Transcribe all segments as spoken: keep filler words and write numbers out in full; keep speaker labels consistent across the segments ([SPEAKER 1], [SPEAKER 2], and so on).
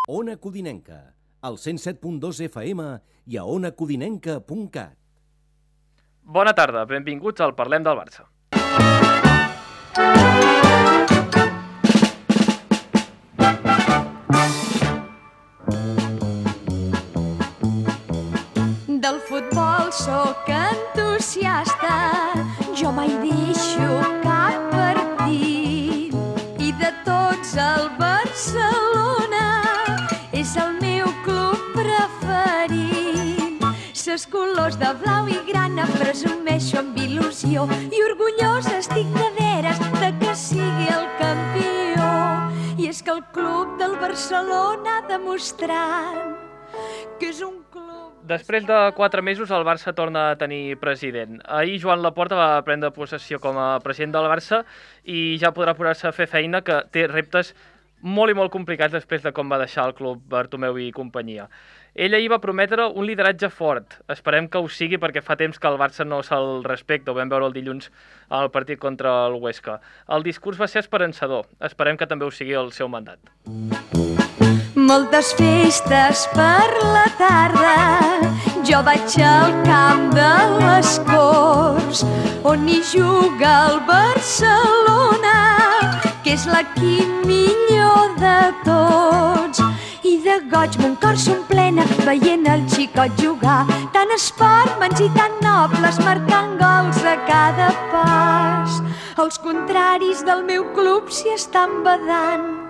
[SPEAKER 1] Ona Codinenca, al cent set punt dos F M i a ona codinenca punt cat.
[SPEAKER 2] Bona tarda, benvinguts al Parlem del Barça.
[SPEAKER 3] Del futbol sóc entusiasta, jo mai deixo cap partit. I de tots el Barcelona és el meu club preferit. Ses colors de blau i grana presumeixo amb il·lusió i orgullosa estic de veres de que sigui el campió. I és que el club del Barcelona ha demostrat que és un club...
[SPEAKER 2] Després de quatre mesos, el Barça torna a tenir president. Ahir Joan Laporta va prendre possessió com a president del Barça i ja podrà posar-se a fer feina, que té reptes molt i molt complicats després de com va deixar el club Bartomeu i companyia. Ell ahir va prometre un lideratge fort. Esperem que ho sigui perquè fa temps que el Barça no se'l respecta. Ho vam veure el dilluns al partit contra el Huesca. El discurs va ser esperançador. Esperem que també ho sigui el seu mandat.
[SPEAKER 3] Moltes festes per la tarda, jo vaig al camp de les Corts, on hi juga el Barcelona, que és l'equip millor de tots. I de goig mon cor s'omplena veient el xicot jugar, tan esportmans i tan nobles marcant gols a cada pas. Els contraris del meu club s'hi estan badant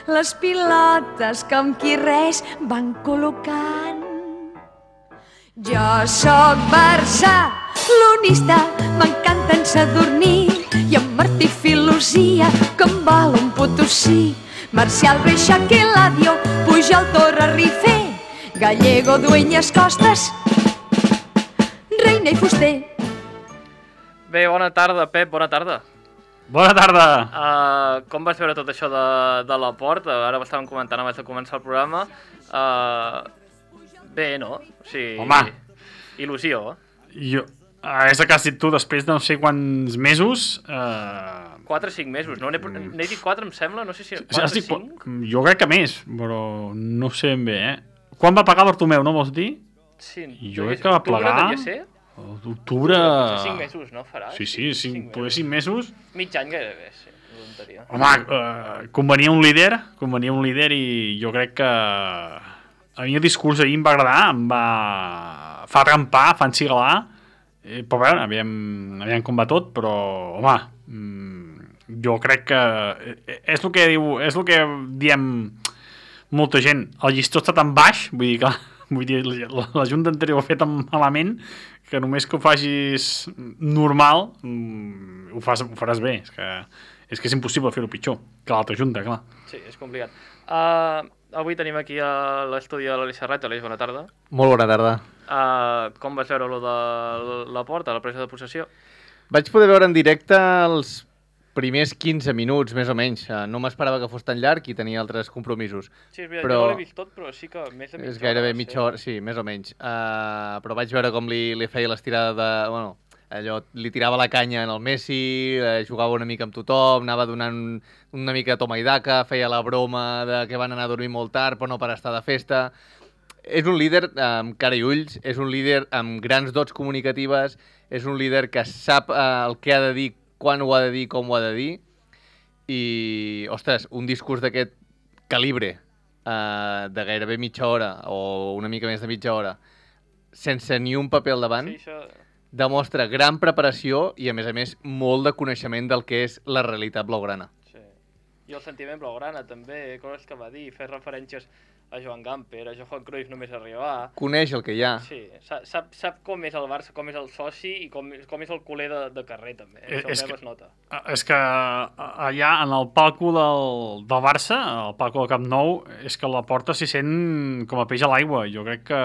[SPEAKER 3] les pilotes que amb qui res van col·locant. Jo sóc barcelonista, m'encanten Sadurní i en Martí Filosia, que em vol un Potosí. Marcial, Reixac i Eladio, Pujol, Torra, Rifé, Gallego, Dueñas, Costas, Reina i Fuster.
[SPEAKER 2] Bé, bona tarda, Pep, bona tarda.
[SPEAKER 4] Bona tarda!
[SPEAKER 2] Uh, com vas veure tot això de, de Laporta? Ara ho estàvem comentant abans de començar el programa. Uh, bé, no? O sigui,
[SPEAKER 4] home!
[SPEAKER 2] Il·lusió.
[SPEAKER 4] Jo, uh, és el que has dit tu, després de no sé quants mesos... Uh...
[SPEAKER 2] quatre o cinc mesos, no? N'he dit quatre, em sembla? No sé si... quatre o cinc?
[SPEAKER 4] Jo crec que més, però no sé ben bé, eh? Quan va pagar Bartomeu, no vols dir?
[SPEAKER 2] Sí.
[SPEAKER 4] Jo crec que va plegar... D'octubre...
[SPEAKER 2] cinc mesos, no? Farà?
[SPEAKER 4] Sí, sí, cinc, poder cinc mesos...
[SPEAKER 2] Mig any gairebé, sí. Voluntaria.
[SPEAKER 4] Home, uh, convenia un líder, convenia un líder i jo crec que... A mi el discurs ahir em va agradar, em va... fa trampar, fa encigalar, eh, però veure, aviam, aviam com va tot, però, home, mm, jo crec que... És el que diu, és el que diem molta gent, el llistó està tan baix, vull dir que... Vull dir, la, la Junta anterior ho ha fet tan malament que només que ho facis normal mm, ho, fas, ho faràs bé. És que, és que és impossible fer-ho pitjor que l'altra Junta, clar.
[SPEAKER 2] Sí, és complicat. Uh, avui tenim aquí a l'estudi de l'Aleix Serrat. Aleix, bona tarda.
[SPEAKER 5] Molt bona tarda.
[SPEAKER 2] Uh, com vas veure lo de Laporta, la presa de possessió?
[SPEAKER 5] Vaig poder veure en directe els primers quinze minuts, més o menys. No m'esperava que fos tan llarg i tenia altres compromisos.
[SPEAKER 2] Sí, és veritat,
[SPEAKER 5] però...
[SPEAKER 2] jo no l'he vist tot, però sí que més de mitja hora.
[SPEAKER 5] És gairebé mitja hora, sí, més o menys. Uh, però vaig veure com li, li feia l'estirada de... Bueno, allò, li tirava la canya en el Messi, eh, jugava una mica amb tothom, anava donant una mica de toma i daca, feia la broma de que van anar a dormir molt tard, però no per estar de festa. És un líder amb cara i ulls, és un líder amb grans dots comunicatives, és un líder que sap uh, el que ha de dir, quan ho ha de dir, com ho ha de dir, i, ostres, un discurs d'aquest calibre, eh, de gairebé mitja hora, o una mica més de mitja hora, sense ni un paper al davant, sí, això... demostra gran preparació i, a més a més, molt de coneixement del que és la realitat blaugrana.
[SPEAKER 2] Sí. I el sentiment blaugrana, també, coses que va dir, fer referències a Joan Gamper, a Johan Cruyff només arribar.
[SPEAKER 5] Coneix el que hi ha.
[SPEAKER 2] Sí, sap, sap com és el Barça, com és el soci i com, com és el culer de, de carrer, també.
[SPEAKER 4] Eh,
[SPEAKER 2] Això
[SPEAKER 4] és, que,
[SPEAKER 2] es nota.
[SPEAKER 4] és que allà, en el palco del, del Barça, el palco del Camp Nou, és que la porta s'hi sent com a peix a l'aigua. Jo crec que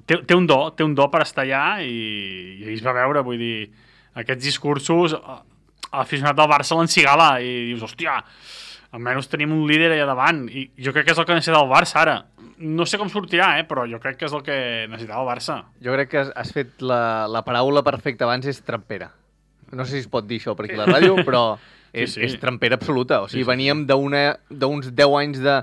[SPEAKER 4] té, té un do, té un do per estar allà i, i es va veure, vull dir, aquests discursos, l'aficionat del Barça l'encigala i dius, hòstia, almenys tenim un líder allà davant i jo crec que és el que necessita el Barça ara. No sé com sortirà, eh, però jo crec que és el que necessitava el Barça.
[SPEAKER 5] Jo crec que has fet la, la paraula perfecta abans, és trampera. no sé si es pot dir això per aquí a la ràdio, però és,
[SPEAKER 4] Sí, sí.
[SPEAKER 5] és trampera absoluta. O sigui,
[SPEAKER 4] Sí, sí,
[SPEAKER 5] veníem d'una- d'uns deu anys de,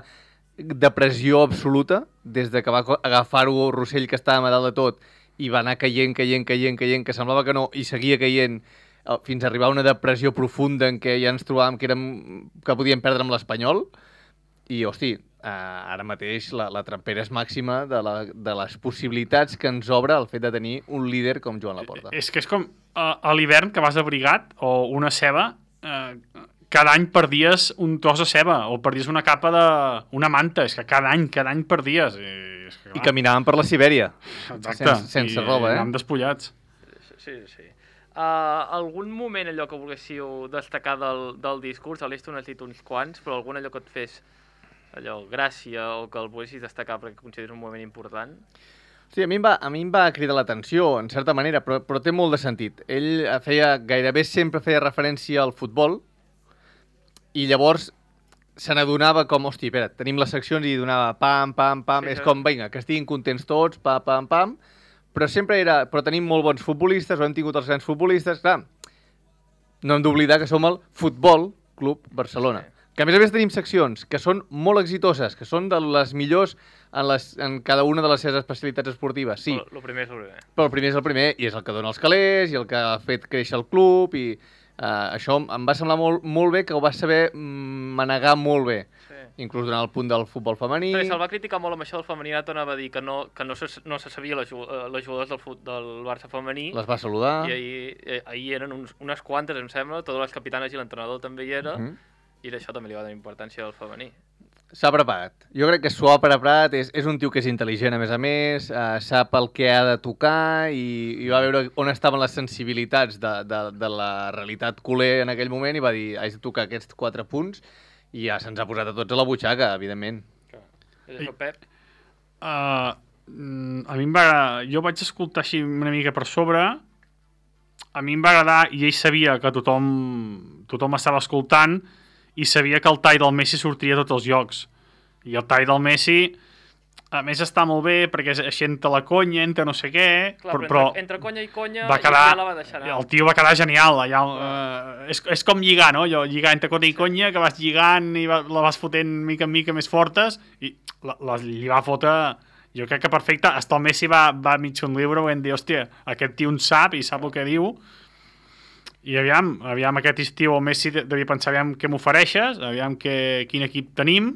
[SPEAKER 5] de pressió absoluta, des de que va co- agafar-ho Rossell, que estava a dalt de tot, i va anar caient, caient, caient, caient, que semblava que no, i seguia caient, eh, fins a arribar a una depressió profunda en què ja ens trobàvem que, érem, que podíem perdre amb l'Espanyol, i, hosti, eh, ara mateix la, la trampera és màxima de, la, de les possibilitats que ens obre el fet de tenir un líder com Joan Laporta.
[SPEAKER 4] És que és com a, a l'hivern que vas abrigat o una ceba, eh, cada any perdies un tros de ceba o perdies una capa de... una manta, és que cada any, cada any perdies. I, és que,
[SPEAKER 5] I caminàvem per la Sibèria,
[SPEAKER 4] Exacte.
[SPEAKER 5] sense, sense
[SPEAKER 4] I,
[SPEAKER 5] roba, eh?
[SPEAKER 4] Anàvem despullats.
[SPEAKER 2] Sí, sí. Uh, algun moment allò que volguéssiu destacar del, del discurs? A l'Esto n'has dit uns quants, però algun allò que et fes allò, gràcia o que el volguessis destacar perquè consideres un moment important?
[SPEAKER 5] Sí, a mi em va, a mi em va cridar l'atenció, en certa manera, però, però té molt de sentit. Ell feia, gairebé sempre feia referència al futbol, i llavors se n'adonava com, hosti, espera, tenim les seccions i donava pam, pam, pam,
[SPEAKER 2] Sí,
[SPEAKER 5] és
[SPEAKER 2] sí.
[SPEAKER 5] com, vinga, que estiguin contents tots, pam, pam, pam, però sempre era, però tenim molt bons futbolistes, o hem tingut els grans futbolistes, clar, no hem d'oblidar que som el Futbol Club Barcelona.
[SPEAKER 2] Sí.
[SPEAKER 5] Que a més a més tenim seccions que són molt exitoses, que són de les millors en, les, en cada una de les seves especialitats esportives, sí.
[SPEAKER 2] El primer és el primer.
[SPEAKER 5] Però el primer és el primer, i és el que dona els calés, i el que ha fet créixer el club, i uh, això em va semblar molt, molt bé, que ho va saber mm, manegar molt bé.
[SPEAKER 2] Sí.
[SPEAKER 5] Inclús durant el punt del futbol femení.
[SPEAKER 2] Perquè se'l va criticar molt amb això del femení, ara tornava a dir que no, que no, se, no se sabia les, ju- eh, les jugadors del, fut, del Barça femení,
[SPEAKER 5] Les va saludar.
[SPEAKER 2] i ahir, eh, ahir eren uns, unes quantes, em sembla, totes les capitanes i l'entrenador també hi era,
[SPEAKER 5] Mhm.
[SPEAKER 2] i d'això també li va donar importància al femení.
[SPEAKER 5] S'ha preparat. Jo crec que s'ho ha preparat, és, és un tio que és intel·ligent a més a més, uh, sap el que ha de tocar i, i va veure on estaven les sensibilitats de, de, de la realitat culer en aquell moment i va dir, haig de tocar aquests quatre punts i ja se'ns ha posat a tots a la butxaca, evidentment.
[SPEAKER 2] És això, Pep?
[SPEAKER 4] Uh, mm, a mi em va... Jo vaig escoltar així una mica per sobre, a mi em va agradar i ell sabia que tothom, tothom estava escoltant i sabia que el tall del Messi sortiria a tots els llocs. I el tall del Messi, a més, està molt bé perquè és així entre la conya, entre no sé què,
[SPEAKER 2] Clar,
[SPEAKER 4] però,
[SPEAKER 2] però entre, entre conya i conya,
[SPEAKER 4] va quedar,
[SPEAKER 2] ja la va deixar anar.
[SPEAKER 4] el tio va quedar genial. Allà, uh, és, és com lligar, no? Jo, lligar entre conya i conya, que vas lligant i va, la vas fotent mica en mica més fortes i la, la, li va fotre... Jo crec que perfecte. Hasta el Messi va, va mig un llibre i vam dir, hòstia, aquest tio en sap i sap el que diu. I aviam, aviam aquest estiu el Messi devia pensar, aviam què m'ofereixes, aviam que, quin equip tenim,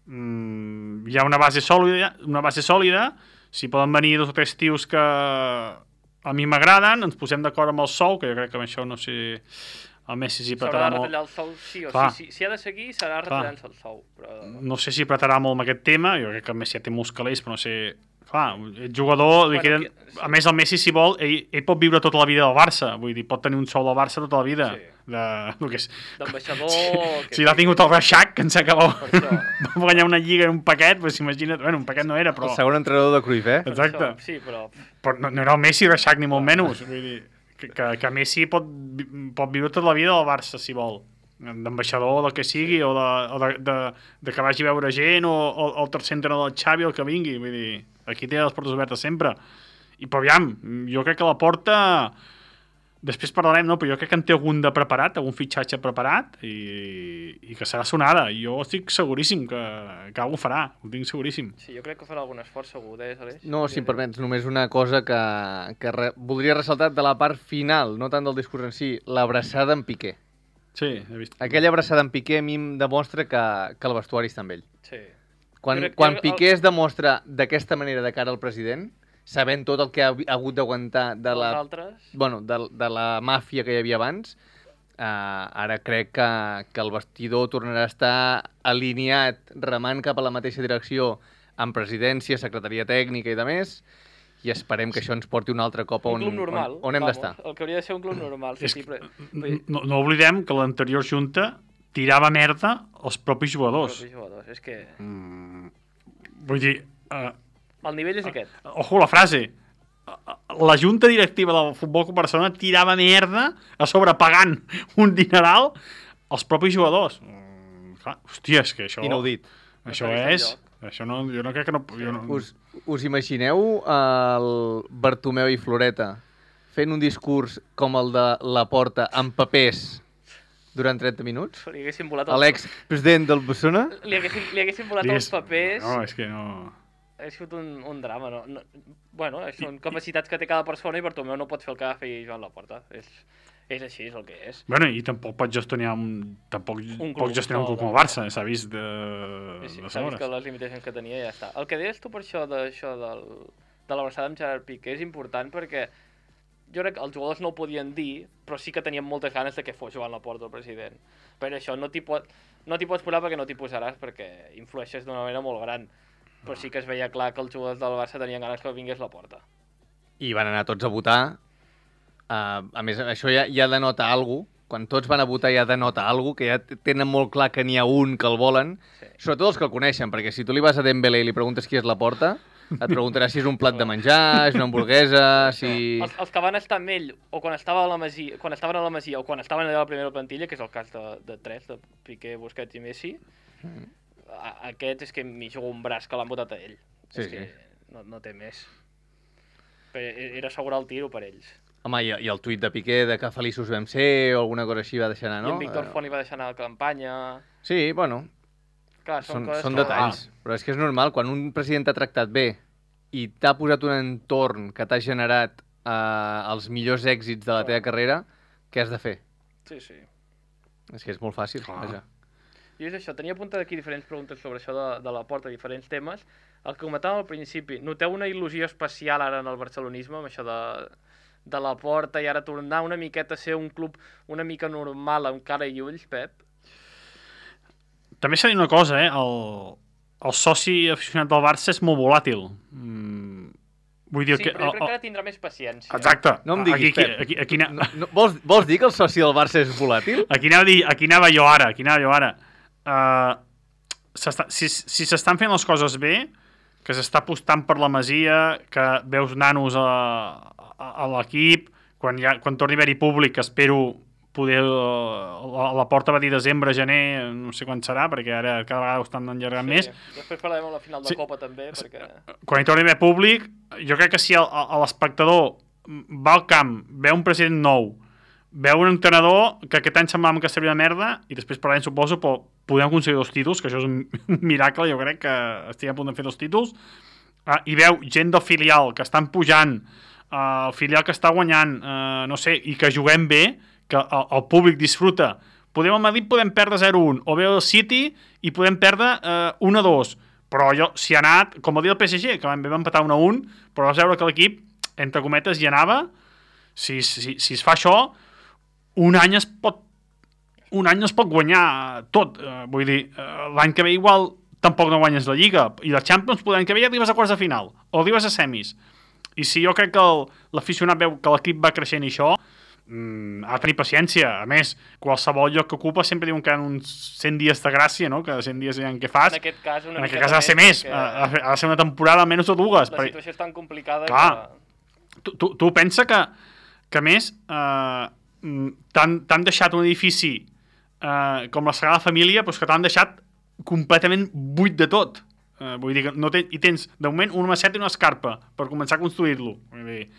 [SPEAKER 4] mm, hi ha una base sòlida, una base sòlida, si poden venir dos o tres tios que a mi m'agraden, ens posem d'acord amb el sou, que jo crec que amb això no sé, el Messi s'hi
[SPEAKER 2] S'haurà
[SPEAKER 4] apretarà
[SPEAKER 2] de
[SPEAKER 4] molt.
[SPEAKER 2] retallar el sou, sí o
[SPEAKER 4] Clar.
[SPEAKER 2] sí. Si, si ha de seguir, serà retallant-se el sou. Però...
[SPEAKER 4] No sé si apretarà molt amb aquest tema, jo crec que el Messi ja té molts calés, però no sé... Clar, el jugador, li
[SPEAKER 2] Bueno,
[SPEAKER 4] queden...
[SPEAKER 2] que- sí.
[SPEAKER 4] A més, el Messi, si vol, ell, ell pot viure tota la vida del Barça, vull dir, pot tenir un sou del Barça tota la vida.
[SPEAKER 2] Sí.
[SPEAKER 4] De... El que és...
[SPEAKER 2] D'ambaixador... que
[SPEAKER 4] Si l'ha tingut el Reixac, que ens acaba...
[SPEAKER 2] Per això.
[SPEAKER 4] Va guanyar una lliga en un paquet, doncs imagina't... Bueno, un paquet no era, però...
[SPEAKER 5] El segon entrenador de Cruyff, eh?
[SPEAKER 2] per
[SPEAKER 4] Exacte.
[SPEAKER 2] això, Sí, però...
[SPEAKER 4] Però no, no era el Messi Reixac, ni molt menys. Vull dir, que, que, que Messi pot, vi- pot viure tota la vida del Barça, si vol. D'ambaixador, del que sigui, o, de, o de, de, de que vagi a veure gent, o, o, o el tercer entrenador del Xavi, o el que vingui. Vull dir, aquí té les portes obertes sempre. I però aviam, jo crec que la porta... Després parlarem, no? Però jo crec que en té algun de preparat, algun fitxatge preparat, i, i que serà sonada. Jo estic seguríssim que, que algú farà, ho tinc seguríssim.
[SPEAKER 2] Sí, jo crec que farà algun esforç segur, eh, Aleix?
[SPEAKER 5] No, si em permets, només una cosa que, que re, voldria ressaltar de la part final, no tant del discurs en si, l'abraçada en Piqué.
[SPEAKER 4] Sí, he vist.
[SPEAKER 5] Aquella abraçada en Piqué a mi em demostra que, que el vestuari està amb ell.
[SPEAKER 2] Sí.
[SPEAKER 5] Quan,
[SPEAKER 2] Jo crec-
[SPEAKER 5] quan
[SPEAKER 2] jo-
[SPEAKER 5] Piqué es demostra d'aquesta manera de cara al president, sabent tot el que ha, ha hagut d'aguantar de la,
[SPEAKER 2] Els altres...
[SPEAKER 5] bueno, de, de la màfia que hi havia abans, uh, ara crec que, que el vestidor tornarà a estar alineat, remant cap a la mateixa direcció amb presidència, secretaria tècnica i de més, i esperem que això ens porti un altre cop
[SPEAKER 2] Un
[SPEAKER 5] on,
[SPEAKER 2] club normal.
[SPEAKER 5] on, on hem
[SPEAKER 2] vamos,
[SPEAKER 5] d'estar.
[SPEAKER 2] El que hauria de ser un club normal. Sí,
[SPEAKER 4] És
[SPEAKER 2] sí,
[SPEAKER 4] que,
[SPEAKER 2] però...
[SPEAKER 4] no, no oblidem que l'anterior junta tirava merda als propis jugadors.
[SPEAKER 2] Els jugadors, és que...
[SPEAKER 4] Mm, vull dir, uh,
[SPEAKER 2] El nivell és aquest.
[SPEAKER 4] ojo la frase, la junta directiva del Futbol Club Barcelona tirava merda a sobre pagant un dineral als propis jugadors. Mm, clar, hòstia, és que això...
[SPEAKER 5] Inaudit.
[SPEAKER 4] Això
[SPEAKER 2] No s'ha vist
[SPEAKER 4] és...
[SPEAKER 2] enlloc.
[SPEAKER 4] Això no, jo no crec que no... Jo no
[SPEAKER 5] Us, us imagineu el Bartomeu i Floreta fent un discurs com el de Laporta amb papers durant trenta minuts?
[SPEAKER 2] Li haguessin volat...
[SPEAKER 5] El... L'ex-president del Barcelona?
[SPEAKER 2] Li haguessin, li haguessin volat
[SPEAKER 4] Digues...
[SPEAKER 2] els papers...
[SPEAKER 4] No, és que no...
[SPEAKER 2] Ha sigut un, un drama, no? no bueno, són capacitats que té cada persona i Bartomeu no pot fer el que va fer Joan Laporta. És, és així, és el que és.
[SPEAKER 4] Bueno, i tampoc pot gestionar un... Tampoc
[SPEAKER 2] un
[SPEAKER 4] pot gestionar un club com el Barça, s'ha vist de...
[SPEAKER 2] Sí, sí,
[SPEAKER 4] de
[SPEAKER 2] s'ha vist que les limitacions que tenia ja està. El que deies tu per això, de, això del, de l'abraçada amb Gerard Piqué és important perquè jo crec que els jugadors no ho podien dir, però sí que tenien moltes ganes de que fos Joan Laporta el president. Per això no t'hi pot, no t'hi pots posar perquè no t'hi posaràs, perquè influeixes d'una manera molt gran. Però sí que es veia clar que els jugadors del Barça tenien ganes que vingués Laporta.
[SPEAKER 5] I van anar tots a votar. Uh, a més, això ja, ja denota alguna cosa. Quan tots van a votar ja denota alguna cosa, que ja tenen molt clar que n'hi ha un que el volen. Sí. Sobretot els que el coneixen, perquè si tu li vas a Dembélé i li preguntes qui és Laporta, et preguntarà si és un plat de menjar, és una hamburguesa, si...
[SPEAKER 2] Els, els que van estar amb ell, o quan, estava a la Masia, quan estaven a la Masia, o quan estaven allà a la primera plantilla, que és el cas de, de tres, de Piqué, Busquets i Messi, mm. a, aquest és que m'hi jugo un braç que l'han votat a ell.
[SPEAKER 5] Sí,
[SPEAKER 2] és
[SPEAKER 5] sí.
[SPEAKER 2] que no, no té més. Però era assegurar el tiro per ells.
[SPEAKER 5] Home, i, i el tuit de Piqué de que feliços vam ser o alguna cosa així va deixar anar, no?
[SPEAKER 2] I en Víctor Font li va deixar anar a la campanya...
[SPEAKER 5] Sí, bueno,
[SPEAKER 2] clar, són,
[SPEAKER 5] són,
[SPEAKER 2] coses
[SPEAKER 5] són
[SPEAKER 2] que...
[SPEAKER 5] detalls. Ah. Però és que és normal, quan un president t'ha tractat bé i t'ha posat un entorn que t'ha generat eh, els millors èxits de la teva carrera, què has de fer?
[SPEAKER 2] Sí, sí.
[SPEAKER 5] És que és molt fàcil, ah. vaja.
[SPEAKER 2] I és això, tenia apuntat aquí diferents preguntes sobre això de, de la porta, diferents temes. El que comentàvem al principi, noteu una il·lusió especial ara en el barcelonisme, amb això de, de la porta, i ara tornar una miqueta a ser un club una mica normal, amb cara i ulls, Pep?
[SPEAKER 4] També s'ha dit una cosa, eh? El, el soci aficionat del Barça és molt volàtil. Mm, vull dir
[SPEAKER 2] sí,
[SPEAKER 4] que...
[SPEAKER 2] però jo
[SPEAKER 4] el,
[SPEAKER 2] crec que ara tindrà més paciència.
[SPEAKER 4] Exacte.
[SPEAKER 5] No em diguis,
[SPEAKER 4] aquí,
[SPEAKER 5] Pep.
[SPEAKER 4] Aquí, aquí, aquí,
[SPEAKER 5] no, no, vols, vols dir que el soci del Barça és volàtil?
[SPEAKER 4] Aquí anava, a dir, aquí anava jo ara, aquí anava jo ara. Uh, si si s'estan fent les coses bé, que s'està apostant per la Masia, que veus nanos a, a, a l'equip, quan, ja, quan torni a haver-hi públic, espero poder... Uh, a la porta va dir desembre, gener, no sé quan serà, perquè ara cada vegada ho estan enllargant sí, més.
[SPEAKER 2] Després parlarem a la final de
[SPEAKER 4] sí.
[SPEAKER 2] Copa també, perquè...
[SPEAKER 4] Quan hi torni a haver públic, jo crec que si l'espectador va al camp, veu un president nou, veu un entrenador que aquest any semblava que seria una merda, i després per l'any suposo però podem aconseguir dos títols, que això és un miracle, jo crec que estic a punt de fer dos títols, uh, i veu gent del filial que estan pujant, uh, el filial que està guanyant, uh, no sé, i que juguem bé, que el, el públic disfruta. Podem al Madrid podem perdre zero a un, o bé el City i podem perdre uh, un a dos, però allò, si ha anat, com va dir el P S G, que vam empatar un a un, però vas veure que l'equip, entre cometes, hi anava, si, si, si es fa això, un any es pot un any no es pot guanyar tot, uh, vull dir, uh, l'any que ve igual tampoc no guanyes la Lliga, i la Champions l'any que ve ja arribes a quarts de final, o arribes a semis, i si jo crec que l'aficionat veu que l'equip va creixent i això, mm, ha de tenir paciència. A més, qualsevol lloc que ocupa sempre diuen que hi ha uns cent dies de gràcia, no? Que cent dies en què fas,
[SPEAKER 2] en aquest cas, una
[SPEAKER 4] en aquest cas ha de ser més,
[SPEAKER 2] que...
[SPEAKER 4] ha de ser una temporada almenys o dues.
[SPEAKER 2] La situació és tan complicada
[SPEAKER 4] clar,
[SPEAKER 2] que...
[SPEAKER 4] tu, tu, tu pensa que, que a més eh, t'han deixat un edifici Uh, com la Sagrada Família, doncs que t'han deixat completament buit de tot. Uh, vull dir que no ten, i tens, de moment, una maceta i una escarpa per començar a construir-lo. Vull dir,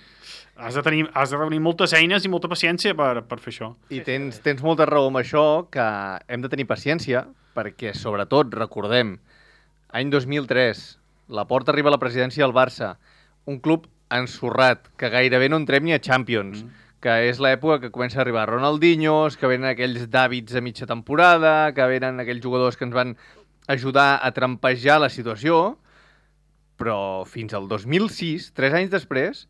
[SPEAKER 4] has de tenir, has de reunir moltes eines i molta paciència per, per fer això.
[SPEAKER 5] I tens, tens molta raó amb això, que hem de tenir paciència, perquè, sobretot, recordem, any dos mil tres, Laporta arriba a la presidència del Barça, un club ensorrat, que gairebé no entrem ni a Champions, mm. que és l'època que comença a arribar Ronaldinhos, que venen aquells Davids a mitja temporada, que venen aquells jugadors que ens van ajudar a trampejar la situació, però fins al dos mil sis, tres anys després,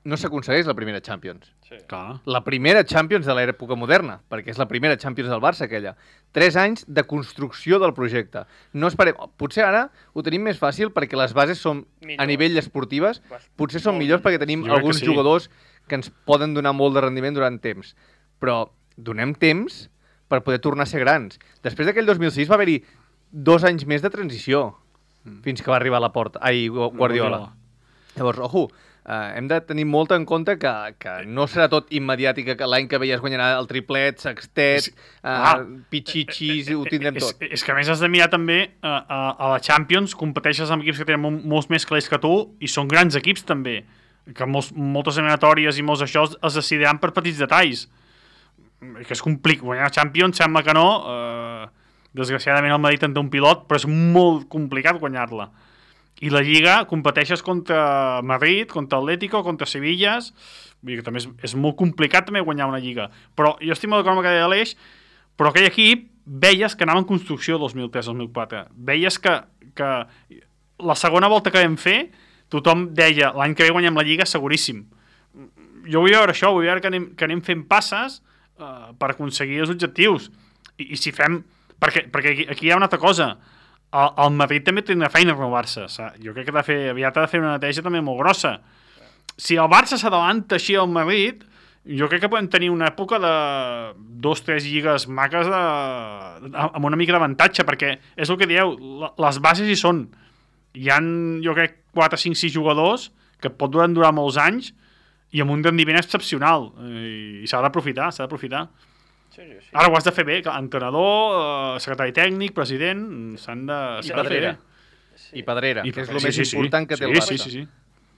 [SPEAKER 5] no s'aconsegueix la primera Champions.
[SPEAKER 2] Sí.
[SPEAKER 4] Clar.
[SPEAKER 5] La primera Champions de l'època moderna, perquè és la primera Champions del Barça, aquella. Tres anys de construcció del projecte. No esperem... Potser ara ho tenim més fàcil perquè les bases són, millor. A nivell esportives, potser són millors perquè tenim
[SPEAKER 4] jo
[SPEAKER 5] alguns
[SPEAKER 4] sí.
[SPEAKER 5] jugadors que ens poden donar molt de rendiment durant temps. Però donem temps per poder tornar a ser grans. Després d'aquell dos mil sis va haver-hi dos anys més de transició mm. fins que va arribar a la porta. Ai, Guardiola. Llavors, ojo, eh, hem de tenir molt en compte que, que no serà tot immediat i que l'any que ve ja es guanyarà el triplet, sextet, eh, ah, pitxitxis, ho tindrem
[SPEAKER 4] és,
[SPEAKER 5] tot.
[SPEAKER 4] És, és que a més has de mirar també eh, a, a la Champions, competeixes amb equips que tenen molts més calés que tu i són grans equips també. que molts, moltes eliminatòries i molts això es decidiran per petits detalls. Que és complicat. Guanyar la Champions sembla que no. Eh, desgraciadament el Madrid en té un pilot, però és molt complicat guanyar-la. I la Lliga competeixes contra Madrid, contra Atlético, contra Sevillas. Vull dir que també és, és molt complicat també guanyar una Lliga. Però jo estic molt d'acord amb el que deia l'Eix, però aquell equip veies que anava en construcció dos mil tres dos mil quatre. Veies que, que la segona volta que vam fer tothom deia l'any que ve guanyem la Lliga seguríssim. Jo vull veure això, vull veure que anem, que anem fent passes uh, per aconseguir els objectius. I, i si fem... Perquè, perquè aquí, aquí hi ha una altra cosa. El, el Madrid també té una feina a renovar-se. Jo crec que ha de fer, aviat ha de fer una neteja també molt grossa. Si el Barça s'adavanta així al Madrid, jo crec que podem tenir una època de dos, tres lligues maques de, amb una mica d'avantatge, perquè és el que dieu, les bases hi són. Hi ha, jo crec, quatre, cinc, sis jugadors que pot durar, durar molts anys i amb un rendiment excepcional. I, i s'ha d'aprofitar, s'ha d'aprofitar.
[SPEAKER 2] Sí, sí, sí.
[SPEAKER 4] Ara ho has de fer bé, entrenador, secretari tècnic, president, s'han de...
[SPEAKER 5] I Pedrera.
[SPEAKER 2] Sí.
[SPEAKER 5] I Pedrera,
[SPEAKER 4] I,
[SPEAKER 5] que és el
[SPEAKER 4] sí,
[SPEAKER 5] més
[SPEAKER 4] sí, sí.
[SPEAKER 5] important que té
[SPEAKER 4] sí,
[SPEAKER 5] el Barça.
[SPEAKER 4] Sí, sí, sí.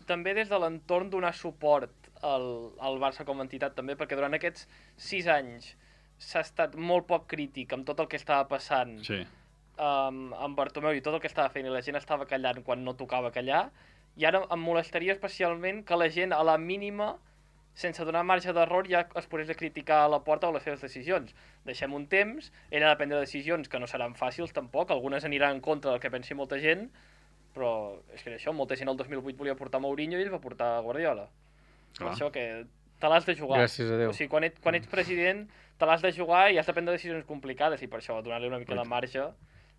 [SPEAKER 2] També des de l'entorn donar suport al, al Barça com a entitat també, perquè durant aquests sis anys s'ha estat molt poc crític amb tot el que estava passant
[SPEAKER 4] sí.
[SPEAKER 2] um, amb Bartomeu i tot el que estava fent i la gent estava callant quan no tocava callar, i ara em molestaria especialment que la gent a la mínima, sense donar marge d'error, ja es posés a criticar a la porta o les seves decisions. Deixem un temps, ell ha de prendre decisions que no seran fàcils tampoc, algunes aniran en contra del que pensi molta gent, però és que això, molta gent el dos mil vuit volia portar Mourinho i ell va portar Guardiola. Per això que te l'has de jugar.
[SPEAKER 5] Gràcies a Déu.
[SPEAKER 2] O sigui, quan, et, quan ets president te l'has de jugar i has de prendre decisions complicades, i per això donar-li una mica de marge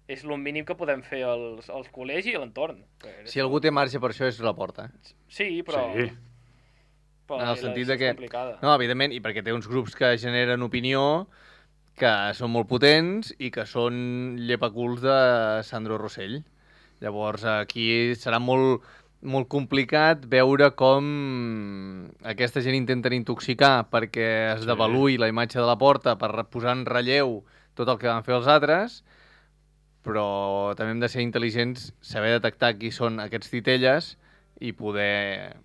[SPEAKER 2] és el mínim que podem fer als, als col·legis i a l'entorn.
[SPEAKER 5] Si algú té marge per això és la porta.
[SPEAKER 2] Sí, però...
[SPEAKER 4] Sí.
[SPEAKER 2] però
[SPEAKER 5] en el sentit de que...
[SPEAKER 2] complicada.
[SPEAKER 5] No, evidentment, i perquè té uns grups que generen opinió que són molt potents i que són llepaculs de Sandro Rossell. Llavors, aquí serà molt, molt complicat veure com aquesta gent intenten intoxicar perquè es
[SPEAKER 4] Sí.
[SPEAKER 5] devaluï la imatge de la porta per posar en relleu tot el que van fer els altres, però també hem de ser intel·ligents, saber detectar qui són aquests titelles i poder,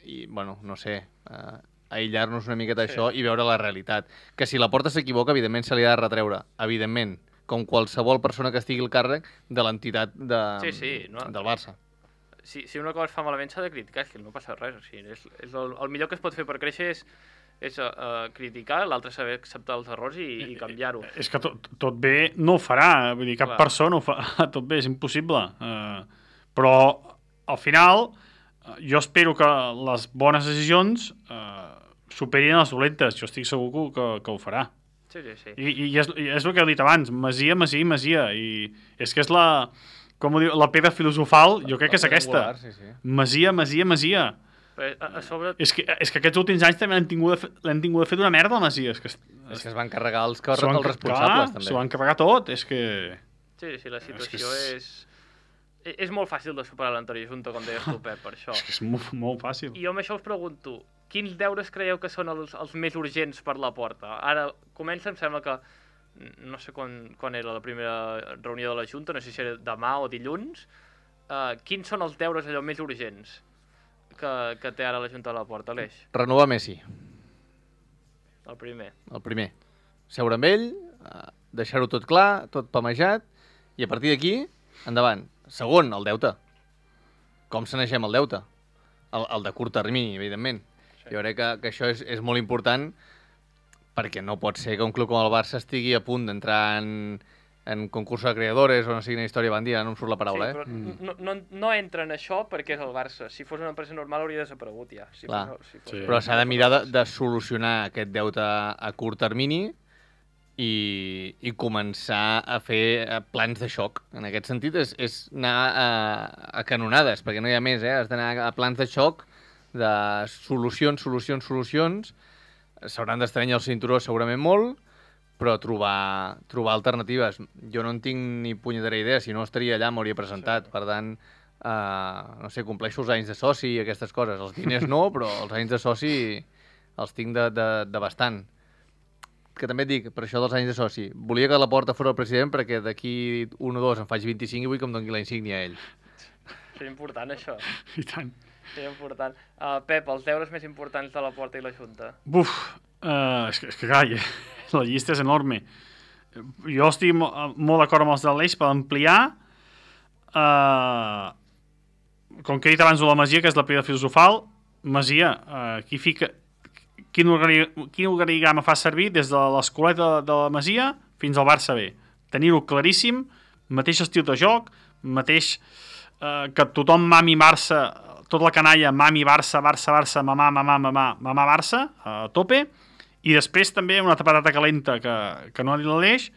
[SPEAKER 5] i, bueno, no sé, uh, aïllar-nos una miqueta d'això
[SPEAKER 2] Sí.
[SPEAKER 5] i veure la realitat. Que si la porta s'equivoca, evidentment se li ha de retreure, evidentment, com qualsevol persona que estigui al càrrec de l'entitat de,
[SPEAKER 2] Sí, sí, no?
[SPEAKER 5] del Barça.
[SPEAKER 2] Si, si una cosa es fa malament s'ha de criticar, és que no passa res. O sigui, és, és el, el millor que es pot fer per créixer és, és uh, criticar, l'altre saber acceptar els errors i, i canviar-ho.
[SPEAKER 4] És que tot, tot bé no ho farà, vull dir, cap
[SPEAKER 2] Clar.
[SPEAKER 4] persona ho fa tot bé, és impossible. Uh, però, al final, uh, jo espero que les bones decisions uh, superin les dolentes. Jo estic segur que, que ho farà.
[SPEAKER 2] Sí, sí, sí.
[SPEAKER 4] I, i, és, i és el que he dit abans, masia, masia i masia. I és que és la, com ho diu, la pedra filosofal, jo crec que és aquesta.
[SPEAKER 5] Sí, sí.
[SPEAKER 4] Masia, masia, masia.
[SPEAKER 2] Però a, a sobre...
[SPEAKER 4] És que, és que aquests últims anys també l'han tingut, de fe- l'han tingut de fet una merda, la masia. És que,
[SPEAKER 5] És que es van carregar els, car
[SPEAKER 4] s'ho han-
[SPEAKER 5] els responsables,
[SPEAKER 4] clar,
[SPEAKER 5] també.
[SPEAKER 4] S'ho van carregar tot, és que...
[SPEAKER 2] Sí, sí, la situació
[SPEAKER 4] és-
[SPEAKER 2] és... és... És molt fàcil de superar l'anterior junta, com deies tu, Pep, per això.
[SPEAKER 4] És que és molt, molt fàcil.
[SPEAKER 2] I jo amb això us pregunto, quins deures creieu que són els, els més urgents per la porta? Ara comença, em sembla que, no sé quan, quan era la primera reunió de la Junta, no sé si era demà o dilluns, uh, quins són els deures allò més urgents que, que té ara la Junta de la Porta, Aleix?
[SPEAKER 5] Renovar Messi,
[SPEAKER 2] El primer.
[SPEAKER 5] el primer. Seure amb ell, eh, deixar-ho tot clar, tot pamejat, i a partir d'aquí, endavant. Segon, el deute. Com sanegem el deute? El, el de curt termini, evidentment.
[SPEAKER 2] Sí.
[SPEAKER 5] Jo crec que, que això és, és molt important perquè no pot ser que un club com el Barça estigui a punt d'entrar en, en concurs de creadores o no sigui una història bandia, no em surt la paraula,
[SPEAKER 2] sí, però
[SPEAKER 5] eh?
[SPEAKER 2] no, no, no entra en això perquè és el Barça. Si fos una empresa normal hauria desaparegut ja. Si
[SPEAKER 5] Clar.
[SPEAKER 2] fos, si fos
[SPEAKER 4] Sí.
[SPEAKER 5] Però s'ha de mirar de, de solucionar aquest deute a curt termini i, i començar a fer eh, plans de xoc. En aquest sentit és, és anar a, a canonades, perquè no hi ha més, eh? Has d'anar a plans de xoc de solucions, solucions, solucions. S'hauran d'estranyar el cinturó segurament molt, però trobar, trobar alternatives. Jo no en tinc ni punyetera idea, si no estaria allà, m'hauria presentat. Per tant, eh, no sé, compleixo els anys de soci i aquestes coses. Els diners no, però els anys de soci els tinc de, de, de bastant. Que també et dic, per això dels anys de soci, volia que la porta fos el president perquè d'aquí un o dos em faig vint-i-cinc i vull que em doni la insígnia a ell.
[SPEAKER 2] Seria important, això.
[SPEAKER 4] I tant.
[SPEAKER 2] Seria important. Uh, Pep, els deures més importants de la Porta i la Junta.
[SPEAKER 4] Buf, uh, és, que, és que clar, la llista és enorme. Jo estic mo molt d'acord amb els de l'Eix per ampliar. Uh, com que he dit abans de la Masia, que és la pedra filosofal, Masia, uh, qui fica... Quin, organi quin organigrama fa servir des de l'escoleta de, de la Masia fins al Barça B. Tenir-ho claríssim, mateix estil de joc, mateix eh, que tothom mami Barça, tota la canalla mami Barça, Barça, Barça, mamà, mamà, mamà, mamà Barça, a tope, i després també una patata calenta que, que no ha dit l'Aleix,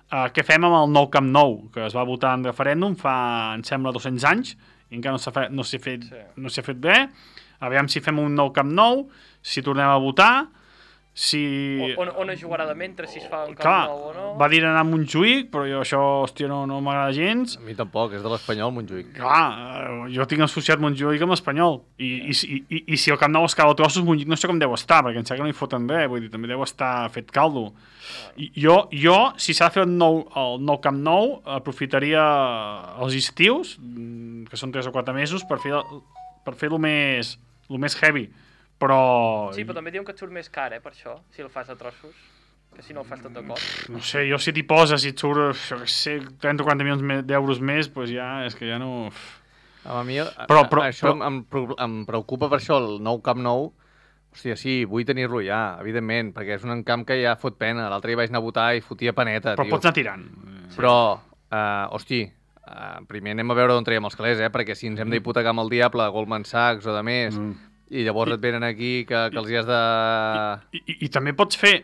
[SPEAKER 4] eh, què fem amb el nou Camp Nou, que es va votar en referèndum fa, em sembla, dos-cents anys, i encara no s'ha fet, no s'ha fet,
[SPEAKER 2] Sí.
[SPEAKER 4] no s'ha fet bé. Aviam si fem un nou Camp Nou, si tornem a votar, si...
[SPEAKER 2] On, on es jugarà de mentre, si es fa un Camp
[SPEAKER 4] Clar,
[SPEAKER 2] Nou o no?
[SPEAKER 4] va dir anar a Montjuïc, però jo això, hòstia, no, no m'agrada gens.
[SPEAKER 5] A mi tampoc, és de l'Espanyol, Montjuïc.
[SPEAKER 4] Clar, eh, jo tinc associat Montjuïc amb l'Espanyol. I, i, i, i, I si el Camp Nou es cau a trossos, Montjuïc no sé com deu estar, perquè em sembla que no hi foten bé, vull dir, també deu estar fet caldo. I, jo, jo, si s'ha de fer el nou, el nou Camp Nou, aprofitaria els estius, mm, que són tres o quatre mesos, per fer, per fer-lo més, lo més heavy. Però...
[SPEAKER 2] Sí, però també diuen que et surt més car, eh, per això, si el fas a trossos, que si no el fas tot de cop.
[SPEAKER 4] No sé, jo si t'hi poses i et surt, jo què sé, trenta o quaranta milions d'euros més, doncs ja, és que ja no...
[SPEAKER 5] A mi
[SPEAKER 4] Però- però-
[SPEAKER 5] això
[SPEAKER 4] però-
[SPEAKER 5] em, em, em preocupa per això, el nou Camp Nou. Hòstia, sí, vull tenir-lo ja, evidentment, perquè és un camp que ja fot pena. L'altre dia vaig anar a votar i fotia paneta,
[SPEAKER 4] Però
[SPEAKER 5] tio.
[SPEAKER 4] pots anar tirant.
[SPEAKER 5] Però, uh, hosti, uh, primer anem a veure on traiem els calés, eh? Perquè si ens hem d'hipotecar amb el diable, Goldman Sachs o de més,
[SPEAKER 4] Mm.
[SPEAKER 5] i llavors
[SPEAKER 4] I-
[SPEAKER 5] et venen aquí que, que els hi has de...
[SPEAKER 4] I, i, I també pots fer...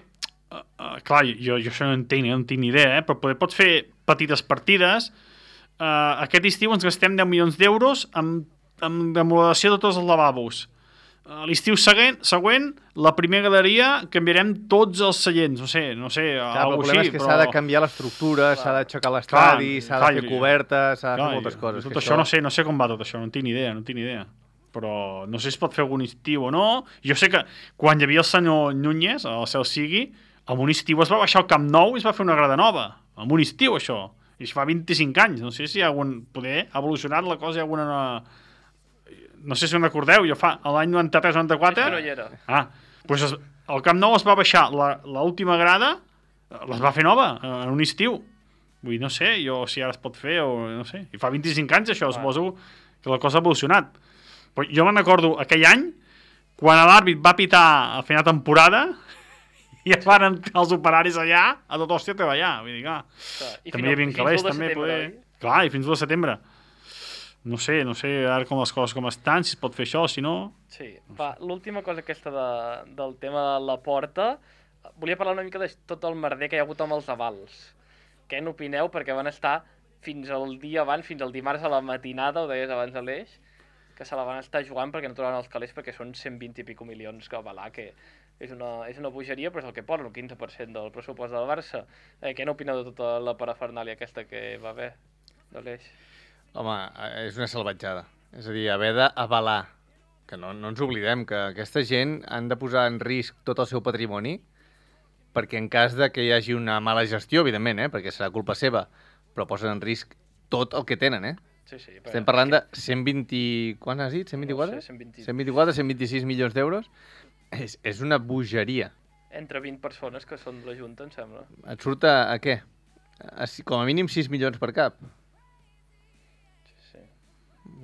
[SPEAKER 4] Uh, uh, clar, jo, jo això no entenc, no en tinc ni idea, eh? Però poder, pots fer petites partides. Uh, aquest estiu ens gastem deu milions d'euros amb, amb remodelació de tots els lavabos. Uh, L'estiu següent, següent, la primera galeria, canviarem tots els seients. No sé, no sé,
[SPEAKER 5] Clar, però el
[SPEAKER 4] alguna
[SPEAKER 5] problema
[SPEAKER 4] així,
[SPEAKER 5] és que
[SPEAKER 4] però...
[SPEAKER 5] s'ha de canviar l'estructura, s'ha d'aixecar l'estadi,
[SPEAKER 4] Clar,
[SPEAKER 5] s'ha
[SPEAKER 4] clar,
[SPEAKER 5] de fer
[SPEAKER 4] i-
[SPEAKER 5] coberta, s'ha de
[SPEAKER 4] Clar,
[SPEAKER 5] fer moltes
[SPEAKER 4] jo-
[SPEAKER 5] coses.
[SPEAKER 4] Tot
[SPEAKER 5] que
[SPEAKER 4] això, no sé, no sé com va tot això, no en tinc ni idea, no en tinc ni idea. Però no sé si es pot fer algun estiu o no. Jo sé que quan hi havia el senyor Núñez, el cel sigui, amb un estiu es va baixar al Camp Nou i es va fer una grada nova. Amb un estiu, això. I això fa vint-i-cinc anys. No sé si hi ha algun... Poder ha evolucionat la cosa, hi ha alguna... No sé si en recordeu, jo fa l'any noranta-tres noranta-quatre...
[SPEAKER 2] És que no hi era.
[SPEAKER 4] Ah, doncs es, el Camp Nou es va baixar, l'última grada les va fer nova, en un estiu. Vull dir, no sé, jo si ara es pot fer o no sé. I fa vint-i-cinc anys això, suposo que la cosa ha evolucionat. Però jo me'n recordo aquell any, quan l'àrbit va pitar a final de temporada i es van entrar els operaris allà, a tot hòstia a treballar. Vull dir, clar,
[SPEAKER 2] Clar, i
[SPEAKER 4] també hi havia
[SPEAKER 2] fins
[SPEAKER 4] calés,
[SPEAKER 2] l'u de
[SPEAKER 4] també,
[SPEAKER 2] setembre,
[SPEAKER 4] poder...
[SPEAKER 2] oi?
[SPEAKER 4] Clar, i fins l'u de setembre. No sé, no sé ara com les coses com estan, si es pot fer això, si no...
[SPEAKER 2] Sí, va, l'última cosa aquesta de, del tema de la porta, volia parlar una mica de tot el merder que hi ha hagut amb els avals. Què n'opineu? Perquè van estar fins al dia abans, fins al dimarts a la matinada, ho deies abans de l'Eix, que se la van estar jugant perquè no trobaven els calés perquè són cent vint i pico milions que avalar, que és una, és una bogeria, però és el que posen, el quinze per cent del pressupost del Barça. Eh, què n'opineu de tota la parafernàlia aquesta que va haver de l'Eix?
[SPEAKER 5] Home, és una salvatjada. És a dir, haver d'avalar, que no, no ens oblidem que aquesta gent han de posar en risc tot el seu patrimoni perquè en cas de que hi hagi una mala gestió, evidentment, eh, perquè serà culpa seva, però posen en risc tot el que tenen, eh?
[SPEAKER 2] Sí, sí. Però
[SPEAKER 5] Estem parlant de cent vint... Quant has dit? cent vint-i-quatre?
[SPEAKER 2] No sé, cent vint.
[SPEAKER 5] cent vint-i-quatre, cent vint-i-sis milions d'euros. És, és una bogeria.
[SPEAKER 2] Entre vint persones que són de la Junta, em sembla.
[SPEAKER 5] Et surt a, a què? A, si- com a mínim sis milions per cap.
[SPEAKER 2] Sí, sí.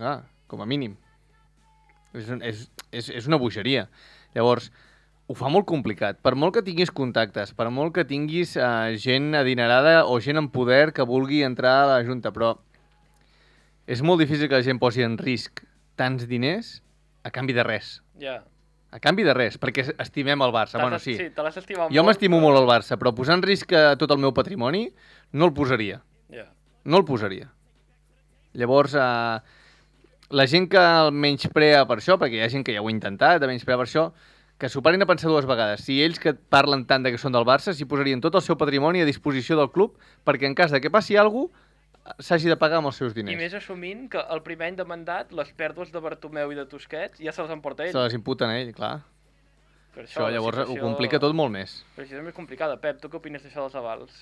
[SPEAKER 5] Ah, com a mínim. És, un, és, és, és una bogeria. Llavors, ho fa molt complicat. Per molt que tinguis contactes, per molt que tinguis uh, gent adinerada o gent en poder que vulgui entrar a la Junta, però és molt difícil que la gent posi en risc tants diners a canvi de res.
[SPEAKER 2] Ja.
[SPEAKER 5] A canvi de res, perquè estimem el Barça.
[SPEAKER 2] T'has-
[SPEAKER 5] Bueno, sí.
[SPEAKER 2] Sí, te l'has estimat
[SPEAKER 5] Jo
[SPEAKER 2] molt.
[SPEAKER 5] m'estimo
[SPEAKER 2] però-
[SPEAKER 5] molt el Barça, però posar en risc eh, tot el meu patrimoni no el posaria.
[SPEAKER 2] Ja.
[SPEAKER 5] No el posaria. Llavors, eh, la gent que el menysprea per això, perquè hi ha gent que ja ho ha intentat, de menysprear per això, que s'ho parin a pensar dues vegades. Si ells que parlen tant de que són del Barça, s'hi posarien tot el seu patrimoni a disposició del club perquè en cas de que passi alguna cosa, s'hagi de pagar amb els seus
[SPEAKER 2] I
[SPEAKER 5] diners.
[SPEAKER 2] més assumint que el primer any de mandat, les pèrdues de Bartomeu i de Tusquets ja se les emporta ell.
[SPEAKER 5] Se les imputen a ell, clar.
[SPEAKER 2] Per
[SPEAKER 5] Això
[SPEAKER 2] la
[SPEAKER 5] llavors
[SPEAKER 2] situació-
[SPEAKER 5] ho complica tot molt més.
[SPEAKER 2] Però això és més complicada. Pep, tu què opines d'això dels avals?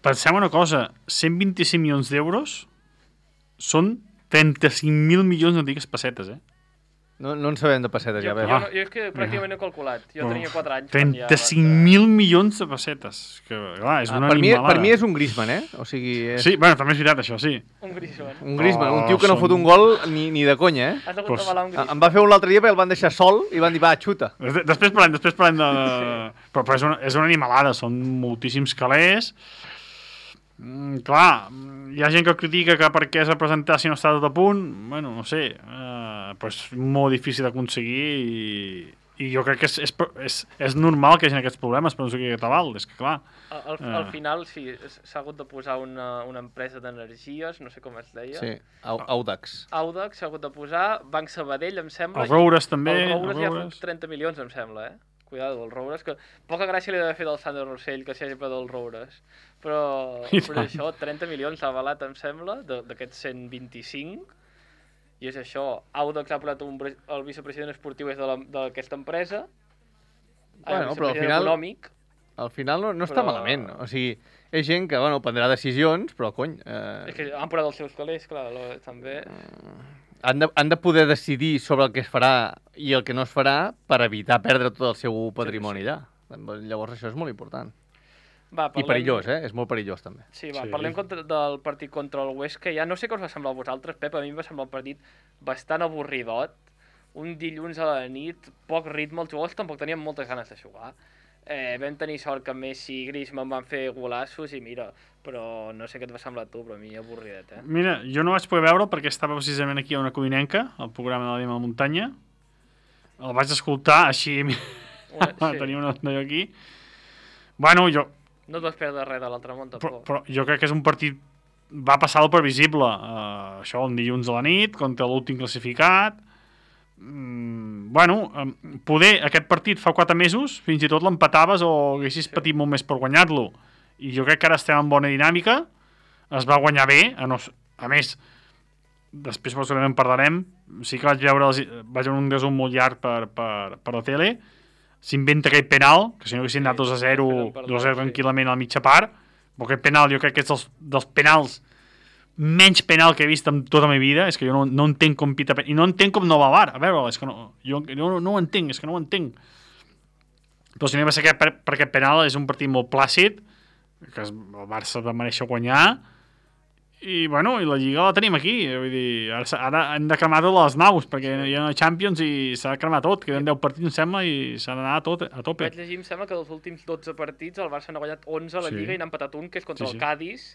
[SPEAKER 4] Pensem una cosa, cent vint-i-cinc milions d'euros són trenta-cinc mil milions, no digues pessetes, eh?
[SPEAKER 5] No, no en sabem de pessetes,
[SPEAKER 2] Jo,
[SPEAKER 5] ja
[SPEAKER 2] jo,
[SPEAKER 5] veus.
[SPEAKER 2] no, jo és que pràcticament no he calculat. Jo tenia quatre anys. quan ja
[SPEAKER 4] trenta-cinc
[SPEAKER 2] va
[SPEAKER 4] mil milions de pessetes. Que, clar, és
[SPEAKER 5] Ah,
[SPEAKER 4] una
[SPEAKER 5] per, mi,
[SPEAKER 4] animalada.
[SPEAKER 5] per mi és un Griezmann, eh? O sigui, és
[SPEAKER 4] Sí, bueno, també és veritat, això, sí.
[SPEAKER 2] Un Griezmann.
[SPEAKER 5] un Griezmann,
[SPEAKER 4] Oh,
[SPEAKER 5] un tio que no
[SPEAKER 4] són-
[SPEAKER 5] fot un gol ni, ni de conya, eh?
[SPEAKER 2] Has hagut
[SPEAKER 4] Pues,
[SPEAKER 2] de balar un
[SPEAKER 5] Em
[SPEAKER 2] Griezmann.
[SPEAKER 5] va fer un l'altre dia perquè el van deixar sol i van dir, va, xuta.
[SPEAKER 4] Des- Després parlem, després parlem de... Però, però és, una, és una animalada, són moltíssims calés. Mm, clar, hi ha gent que critica que per què es va presentar si no està tot a punt. Bueno, no sé, eh, però és molt difícil d'aconseguir i, i jo crec que és, és, és, és normal que hi hagi aquests problemes per no sé què tal, és que clar...
[SPEAKER 2] Al, al, al final, sí, s'ha hagut de posar una, una empresa d'energies, no sé com es deia.
[SPEAKER 5] Sí, Au- Audax.
[SPEAKER 2] Audax s'ha hagut de posar, Banc Sabadell, em sembla.
[SPEAKER 4] Els Roures també,
[SPEAKER 2] El Roures
[SPEAKER 4] els
[SPEAKER 2] ja
[SPEAKER 4] Roures.
[SPEAKER 2] fa trenta milions, em sembla, eh? Cuidado, el Roures, que poca gràcia li ha d'haver fet el Sandro Rossell, que s'hi hagi fet el Roures. Però,
[SPEAKER 4] I
[SPEAKER 2] però
[SPEAKER 4] tant.
[SPEAKER 2] això, trenta milions l'ha avalat, em sembla, de- d'aquests cent vint-i-cinc, i és això. Audax ha posat un, pre- el vicepresident esportiu és de la- d'aquesta empresa,
[SPEAKER 5] Bueno,
[SPEAKER 2] el
[SPEAKER 5] però al
[SPEAKER 2] vicepresident
[SPEAKER 5] final-
[SPEAKER 2] econòmic,
[SPEAKER 5] Al final no, no està
[SPEAKER 2] Però-
[SPEAKER 5] malament. O sigui, és gent que, bueno, prendrà decisions, però, cony, eh,
[SPEAKER 2] és que han posat els seus calés, clar, lo- també...
[SPEAKER 5] han, de, han de poder decidir sobre el que es farà i el que no es farà per evitar perdre tot el seu patrimoni allà. Llavors això és molt important.
[SPEAKER 2] Va,
[SPEAKER 5] I perillós, eh? És molt perillós, també.
[SPEAKER 2] Sí, va,
[SPEAKER 4] Sí.
[SPEAKER 2] parlem contra, del partit contra el Huesca. Ja no sé què us va semblar a vosaltres, Pep, a mi em va semblar un partit bastant avorridot. Un dilluns a la nit, poc ritme, els jugadors tampoc tenien moltes ganes de jugar. Eh, vam tenir sort que Messi i Griezmann van fer golassos i mira, però no sé què et va semblar a tu, però a mi avorridet, eh?
[SPEAKER 4] Mira, jo no vaig poder veure perquè estava precisament aquí a una Codinenca, al programa de la Dima de la Muntanya. El vaig escoltar, així...
[SPEAKER 2] Una, sí.
[SPEAKER 4] Tenia una d'allò aquí. Bueno, jo,
[SPEAKER 2] No et vas perdre res de l'altre món,
[SPEAKER 4] però,
[SPEAKER 2] tampoc.
[SPEAKER 4] però jo crec que és un partit... Va passar el previsible. Uh, això, un dilluns a la nit, contra l'últim classificat. Mm, bueno, um, poder aquest partit fa quatre mesos, fins i tot l'empataves o haguessis
[SPEAKER 2] Sí.
[SPEAKER 4] patit molt més per guanyar-lo. I jo crec que ara estem en bona dinàmica. Es va guanyar bé. A, no, a més, després segurament parlarem. Sí que vaig veure, els, vaig veure un resum molt llarg per, per, per la tele. S'inventa aquell penal, que si no haguessin
[SPEAKER 2] Sí,
[SPEAKER 4] anat dos a zero,
[SPEAKER 2] després en parlem,
[SPEAKER 4] dos a zero
[SPEAKER 2] sí.
[SPEAKER 4] tranquil·lament a la mitja part, però aquest penal jo crec que és dels, dels penals menys penal que he vist en tota la meva vida. És que jo no, no entenc com pita penal, i no entenc com no va a V A R, a veure, és que no, jo, jo no, no ho entenc, és que no ho entenc. Però si no va ser aquest, per, per aquest penal és un partit molt plàcid, que es, el Barça va mereixer guanyar, i bueno, i la Lliga la tenim aquí, vull dir, ara, s'ha- ara hem de cremar totes les naus, perquè hi ha Champions i s'ha de cremar tot, queden deu partits, em sembla, i s'ha d'anar a, tot, a tope.
[SPEAKER 2] Vaig llegir, em sembla que dels últims dotze partits el Barça n'ha guanyat onze a la
[SPEAKER 4] Sí.
[SPEAKER 2] Lliga i n'ha empatat un, que és contra
[SPEAKER 4] Sí, sí.
[SPEAKER 2] el Cádiz,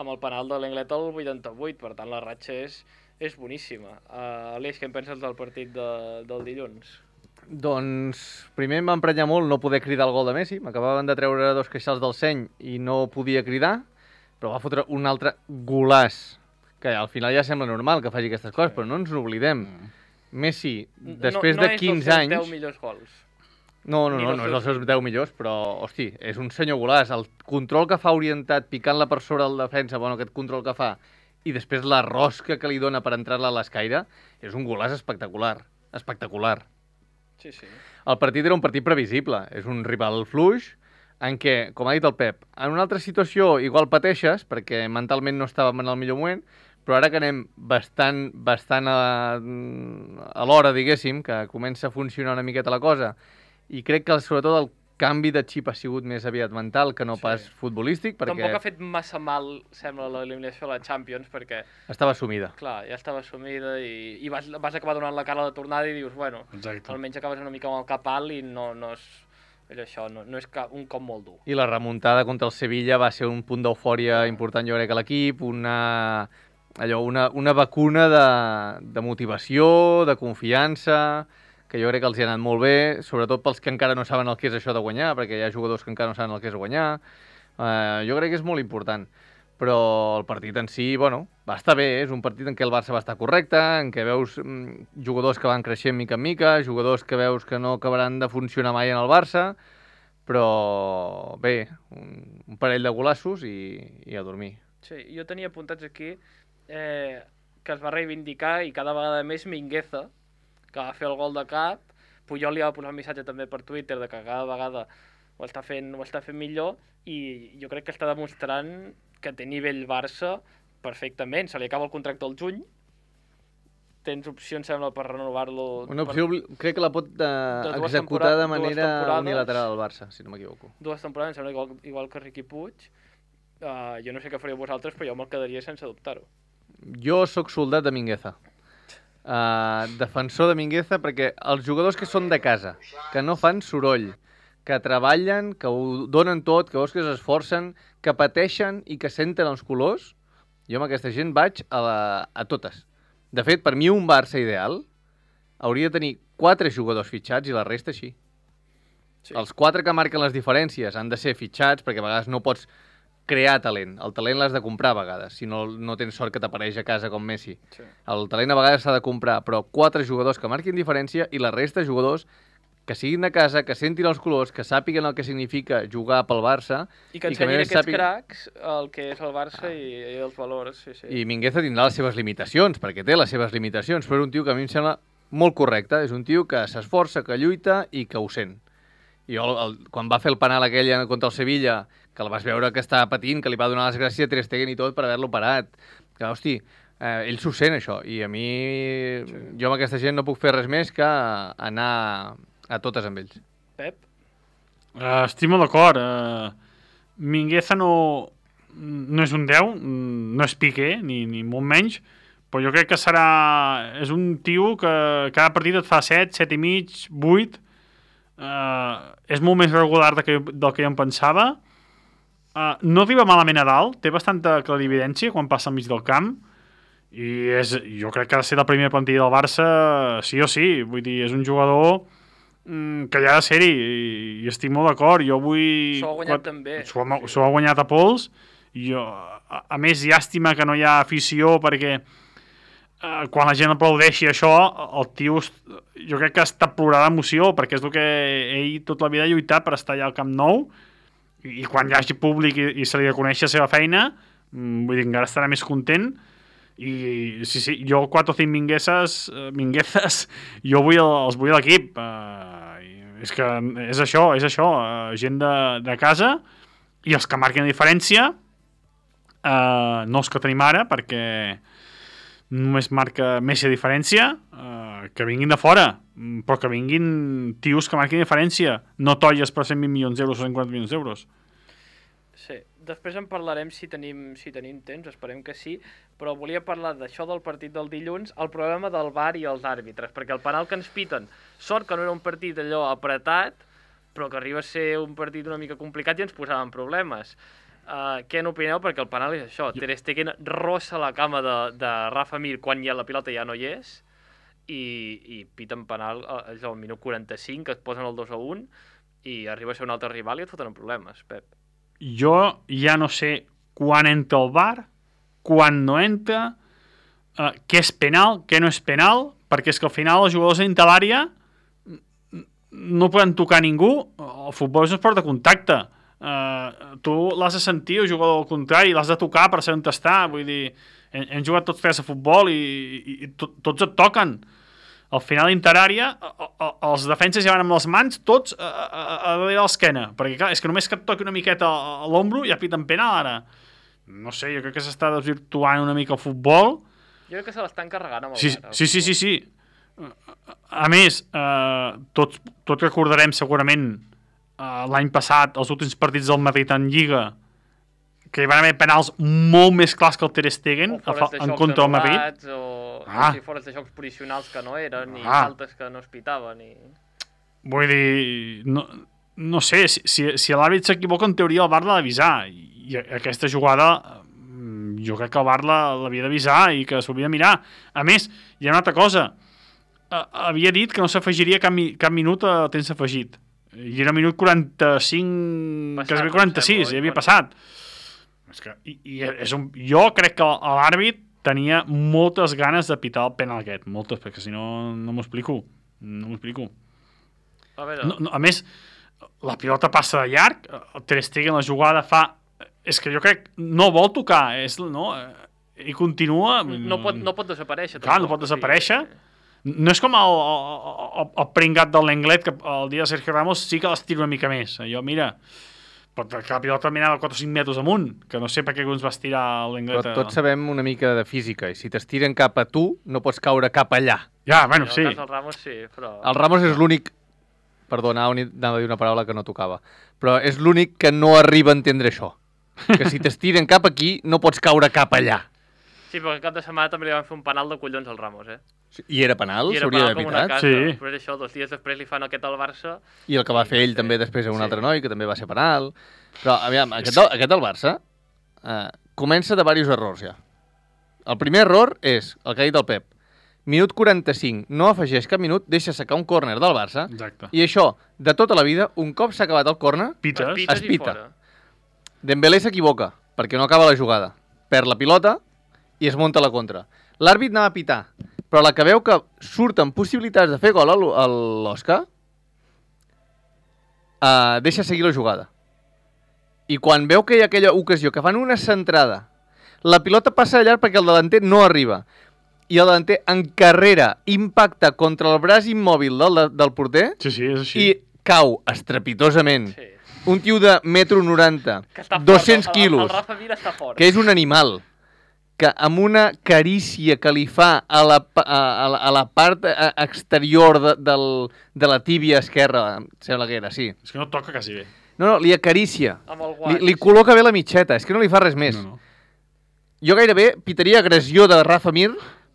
[SPEAKER 2] amb el penal de l'Englet al vuitanta-vuit, per tant la ratxa és, és boníssima. Uh, Aleix, què en penses del partit de, del dilluns?
[SPEAKER 5] Doncs primer em va emprenyar molt no poder cridar el gol de Messi. M'acabaven de treure dos queixals del seny i no podia cridar, però va fotre un altre golàs, que al final ja sembla normal que faci aquestes coses, però no ens n'oblidem. Messi, després
[SPEAKER 2] no,
[SPEAKER 5] de
[SPEAKER 2] no
[SPEAKER 5] quinze
[SPEAKER 2] és dels seus
[SPEAKER 5] anys...
[SPEAKER 2] deu millors gols.
[SPEAKER 5] No, no,
[SPEAKER 2] ni
[SPEAKER 5] no,
[SPEAKER 2] dels
[SPEAKER 5] no és
[SPEAKER 2] seus-
[SPEAKER 5] dels seus deu millors, però, hosti, és un senyor golàs. El control que fa orientat, picant-la per sobre el defensa, bueno, aquest control que fa, i després la rosca que li dona per entrar-la a l'escaire, és un golàs espectacular. Espectacular.
[SPEAKER 2] Sí, sí.
[SPEAKER 5] El partit era un partit previsible. És un rival fluix, en què, com ha dit el Pep, en una altra situació igual pateixes, perquè mentalment no estàvem en el millor moment, però ara que anem bastant, bastant a, a l'hora, diguéssim, que comença a funcionar una miqueta la cosa, i crec que sobretot el canvi de xip ha sigut més aviat mental que no
[SPEAKER 2] Sí.
[SPEAKER 5] pas futbolístic, perquè
[SPEAKER 2] Tampoc ha fet massa mal, sembla, l'eliminació a la Champions, perquè,
[SPEAKER 5] estava assumida.
[SPEAKER 2] clar, ja estava assumida i, i vas, vas acabar donant la cara a la tornada i dius, bueno,
[SPEAKER 4] Exacte.
[SPEAKER 2] almenys acabes una mica amb el cap alt i no, no és... És això, no, no és ca- un cop molt dur.
[SPEAKER 5] I la remuntada contra el Sevilla va ser un punt d'eufòria important, jo crec, a l'equip, una, allò, una, una vacuna de, de motivació, de confiança, que jo crec que els hi ha anat molt bé, sobretot pels que encara no saben el que és això de guanyar, perquè hi ha jugadors que encara no saben el que és guanyar. Uh, jo crec que és molt important. Però el partit en si, bueno, va estar bé, és un partit en què el Barça va estar correcte, en què veus mm, jugadors que van creixent mica en mica, jugadors que veus que no acabaran de funcionar mai en el Barça, però bé, un, un parell de golassos i, i a dormir.
[SPEAKER 2] Sí, jo tenia apuntats aquí eh, que es va reivindicar i cada vegada més Mingueza, que va fer el gol de cap. Puyol li va posar un missatge també per Twitter de que cada vegada ho està fent, ho està fent millor i jo crec que està demostrant que té nivell Barça perfectament. Se li acaba el contracte al juny tens opcions, sembla, per renovar-lo...
[SPEAKER 5] Una opció,
[SPEAKER 2] per...
[SPEAKER 5] crec que la pot uh,
[SPEAKER 2] de
[SPEAKER 5] executar de manera unilateral al Barça, si no m'equivoco.
[SPEAKER 2] Dues temporades, em sembla igual, igual que Riqui Puig. Uh, jo no sé què faríeu vosaltres, però jo me'l quedaria sense dubtar-ho.
[SPEAKER 5] Jo sóc soldat de Mingueza. Uh, defensor de Mingueza perquè els jugadors que són de casa, que no fan soroll, que treballen, que ho donen tot, que veus que s'esforcen, que pateixen i que senten els colors, jo amb aquesta gent vaig a, la, a totes. De fet, per mi un Barça ideal hauria de tenir quatre jugadors fitxats i la resta així. Sí. Els quatre que marquen les diferències han de ser fitxats perquè a vegades no pots crear talent. El talent l'has de comprar a vegades, si no, no tens sort que t'apareix a casa com Messi. Sí. El talent a vegades s'ha de comprar, però quatre jugadors que marquin diferència i la resta de jugadors que siguin de casa, que sentin els colors, que sàpiguen el que significa jugar pel Barça.
[SPEAKER 2] I que ensenyin aquests sàpiguen... cracs el que és el Barça ah. i, i els valors. Sí, sí.
[SPEAKER 5] I Mingueza tindrà les seves limitacions, perquè té les seves limitacions, però és un tio que a mi em sembla molt correcte. És un tio que s'esforça, que lluita i que ho sent. I jo, el, quan va fer el penal aquell contra el Sevilla, que el vas veure que estava patint, que li va donar les gràcies a Ter Stegen i tot per haver-lo parat. Que, hosti, eh, ell s'ho sent, això. I a mi, sí. jo amb aquesta gent no puc fer res més que anar a totes amb ells.
[SPEAKER 2] Pep?
[SPEAKER 4] Uh, estic molt d'acord. Uh, Mingueza no, no és un deu, no és Piqué, ni, ni molt menys, però jo crec que serà... És un tio que cada partit et fa set, set i mig, vuit. Uh, és molt més regular del que, del que jo em pensava. Uh, no arriba malament a dalt, té bastanta clarividència quan passa al mig del camp i és, jo crec que ha de ser la primera plantilla del Barça sí o sí, vull dir, és un jugador mm, que ja ha de ser-hi i, i estic molt d'acord. Jo vull...
[SPEAKER 2] S'ho ha guanyat quan, també.
[SPEAKER 4] S'ho ha, s'ho ha guanyat a pols. Jo, a, a més, llàstima que no hi ha afició perquè Uh, quan la gent aplaudeixi això, el tio jo crec que està plorant d'emoció perquè és el que ell tota la vida ha lluitat per estar allà al Camp Nou i, i quan hi hagi públic i, i se li reconeix la seva feina, mm, vull dir, encara estarà més content i sí, sí, jo quatre o cinc mingueses, uh, minguezes, jo vull el, els vull a l'equip. Uh, és que és això, és això, uh, gent de, de casa i els que marquen la diferència, uh, no els que tenim ara perquè només marca Messi a diferència, eh, que vinguin de fora, però que vinguin tios que marquin diferència, no tolles per cent vint milions d'euros o cent quaranta milions d'euros.
[SPEAKER 2] Sí, després en parlarem si tenim, si tenim temps, esperem que sí, però volia parlar d'això del partit del dilluns, el problema del V A R i els àrbitres, perquè el penal que ens piten, sort que no era un partit allò apretat, però que arriba a ser un partit una mica complicat i ens posaven problemes. Uh, què n'opineu? Perquè el penal és això. Jo... Ter Stegen rossa la cama de, de Rafa Mir quan ja la pilota ja no hi és i, i piten penal uh, al minut quaranta-cinc, que et posen el dos a un i arriba a ser un altre rival i et foten problemes, Pep.
[SPEAKER 4] Jo ja no sé quan entra el V A R, quan no entra, uh, què és penal, què no és penal, perquè és que al final els jugadors dintre l'àrea no poden tocar ningú. El futbol és un esport de contacte. Uh, tu l'has de sentir, el jugador al contrari, l'has de tocar per saber on està. Vull dir, hem, hem jugat tots tres a futbol i, i, i to, tots et toquen. Al final interària, els defenses ja van amb les mans tots a, a, a darrere l'esquena, perquè clar, és que només que et toqui una miqueta a l'ombro ja piten penal ara. No sé, jo crec que s'està desvirtuant una mica el futbol.
[SPEAKER 2] Jo crec que se l'estan carregant amb el
[SPEAKER 4] sí,
[SPEAKER 2] V A R.
[SPEAKER 4] Sí, sí, sí, sí. A més, uh, tots, tots recordarem segurament Uh, l'any passat, els últims partits del Madrid en Lliga, que hi van haver penals molt més clars que el Ter Stegen en contra del Madrid.
[SPEAKER 2] O ah. si fores de jocs posicionals que no eren, i ah. faltes que no es pitaven. I...
[SPEAKER 4] Vull dir, no, no sé, si, si, si l'àrbit s'equivoca, en teoria el V A R l'ha d'avisar. I aquesta jugada, jo crec que el V A R l'havia d'avisar i que s'ho havia de mirar. A més, hi ha una altra cosa. Uh, havia dit que no s'afegiria cap, cap minut a temps afegit. I era minut quaranta-cinc, quasi quaranta-sis, ja havia passat. És que, i, i és un, jo crec que l'àrbit tenia moltes ganes de pitar el penal aquest, moltes, perquè si no, no m'ho explico. No m'ho explico.
[SPEAKER 2] A, veure.
[SPEAKER 4] No, no, a més, la pilota passa de llarg, el Ter Stegen la jugada fa... És que jo crec, no vol tocar, és, no, i continua...
[SPEAKER 2] No pot, no pot desaparèixer.
[SPEAKER 4] Clar, tampoc, no pot desaparèixer. Sí. No és com el, el, el pringat del Lenglet, que el dia de Sergio Ramos sí que l'estira una mica més. Jo, mira, Però que la pilota mirava quatre o cinc metres amunt, que no sé per què ens va estirar l'Engleta.
[SPEAKER 5] Però tots sabem una mica de física, i si t'estiren cap a tu, no pots caure cap allà.
[SPEAKER 4] Ja, bueno,
[SPEAKER 2] En
[SPEAKER 4] sí.
[SPEAKER 2] el cas del Ramos sí, però...
[SPEAKER 5] El Ramos és l'únic... Perdona, anava a dir una paraula que no tocava. Però és l'únic que no arriba a entendre això. Que si t'estiren cap aquí, no pots caure cap allà.
[SPEAKER 2] Sí, però aquest cap de setmana també li van fer un penal de collons al Ramos, eh?
[SPEAKER 5] I era penal?
[SPEAKER 2] I era
[SPEAKER 5] S'hauria
[SPEAKER 2] penal
[SPEAKER 5] d'haver
[SPEAKER 2] com una
[SPEAKER 5] pitat?
[SPEAKER 2] casa.
[SPEAKER 4] Sí.
[SPEAKER 2] Però és això, dos dies després li fan aquest al Barça.
[SPEAKER 5] I el que va fer ell també després a un
[SPEAKER 2] Sí.
[SPEAKER 5] altre noi, que també va ser penal. Però, aviam, aquest del, aquest del Barça eh, comença de diversos errors, ja. El primer error és el que ha dit el Pep. Minut quaranta-cinc, no afegeix cap minut, deixa sacar un córner del Barça.
[SPEAKER 4] Exacte.
[SPEAKER 5] I això, de tota la vida, un cop s'ha acabat el córner,
[SPEAKER 4] Pites.
[SPEAKER 2] Es pites
[SPEAKER 5] Es
[SPEAKER 2] i
[SPEAKER 5] pita.
[SPEAKER 2] fora.
[SPEAKER 5] Dembélé s'equivoca, perquè no acaba la jugada. Perd la pilota i es munta la contra. L'àrbit anava a pitar, però a la que veu que surten possibilitats de fer gol a l'O- a l'Oscar, uh, deixa seguir la jugada. I quan veu que hi ha aquella ocasió que fan una centrada, la pilota passa de llarg perquè el delanter no arriba, i el delanter en carrera impacta contra el braç immòbil del, del porter
[SPEAKER 4] Sí, sí, és així.
[SPEAKER 5] i cau estrepitosament.
[SPEAKER 2] Sí.
[SPEAKER 5] Un tio de metro noranta,
[SPEAKER 2] Que està fort,
[SPEAKER 5] dos-cents
[SPEAKER 2] el- el-
[SPEAKER 5] quilos,
[SPEAKER 2] El Rafa Mir està fort.
[SPEAKER 5] que és un animal, que amb una carícia que li fa a la, pa- a, a la, a la part eh, exterior de, del, de la tíbia esquerra, em sembla que era, sí.
[SPEAKER 4] És que no toca quasi bé.
[SPEAKER 5] No, no, li acaricia.
[SPEAKER 2] Amb el
[SPEAKER 5] Li,
[SPEAKER 2] guant.
[SPEAKER 5] li col·loca bé la mitxeta, és que no li fa res més.
[SPEAKER 4] No, no.
[SPEAKER 5] Jo gairebé pitaria agressió de Rafa Mir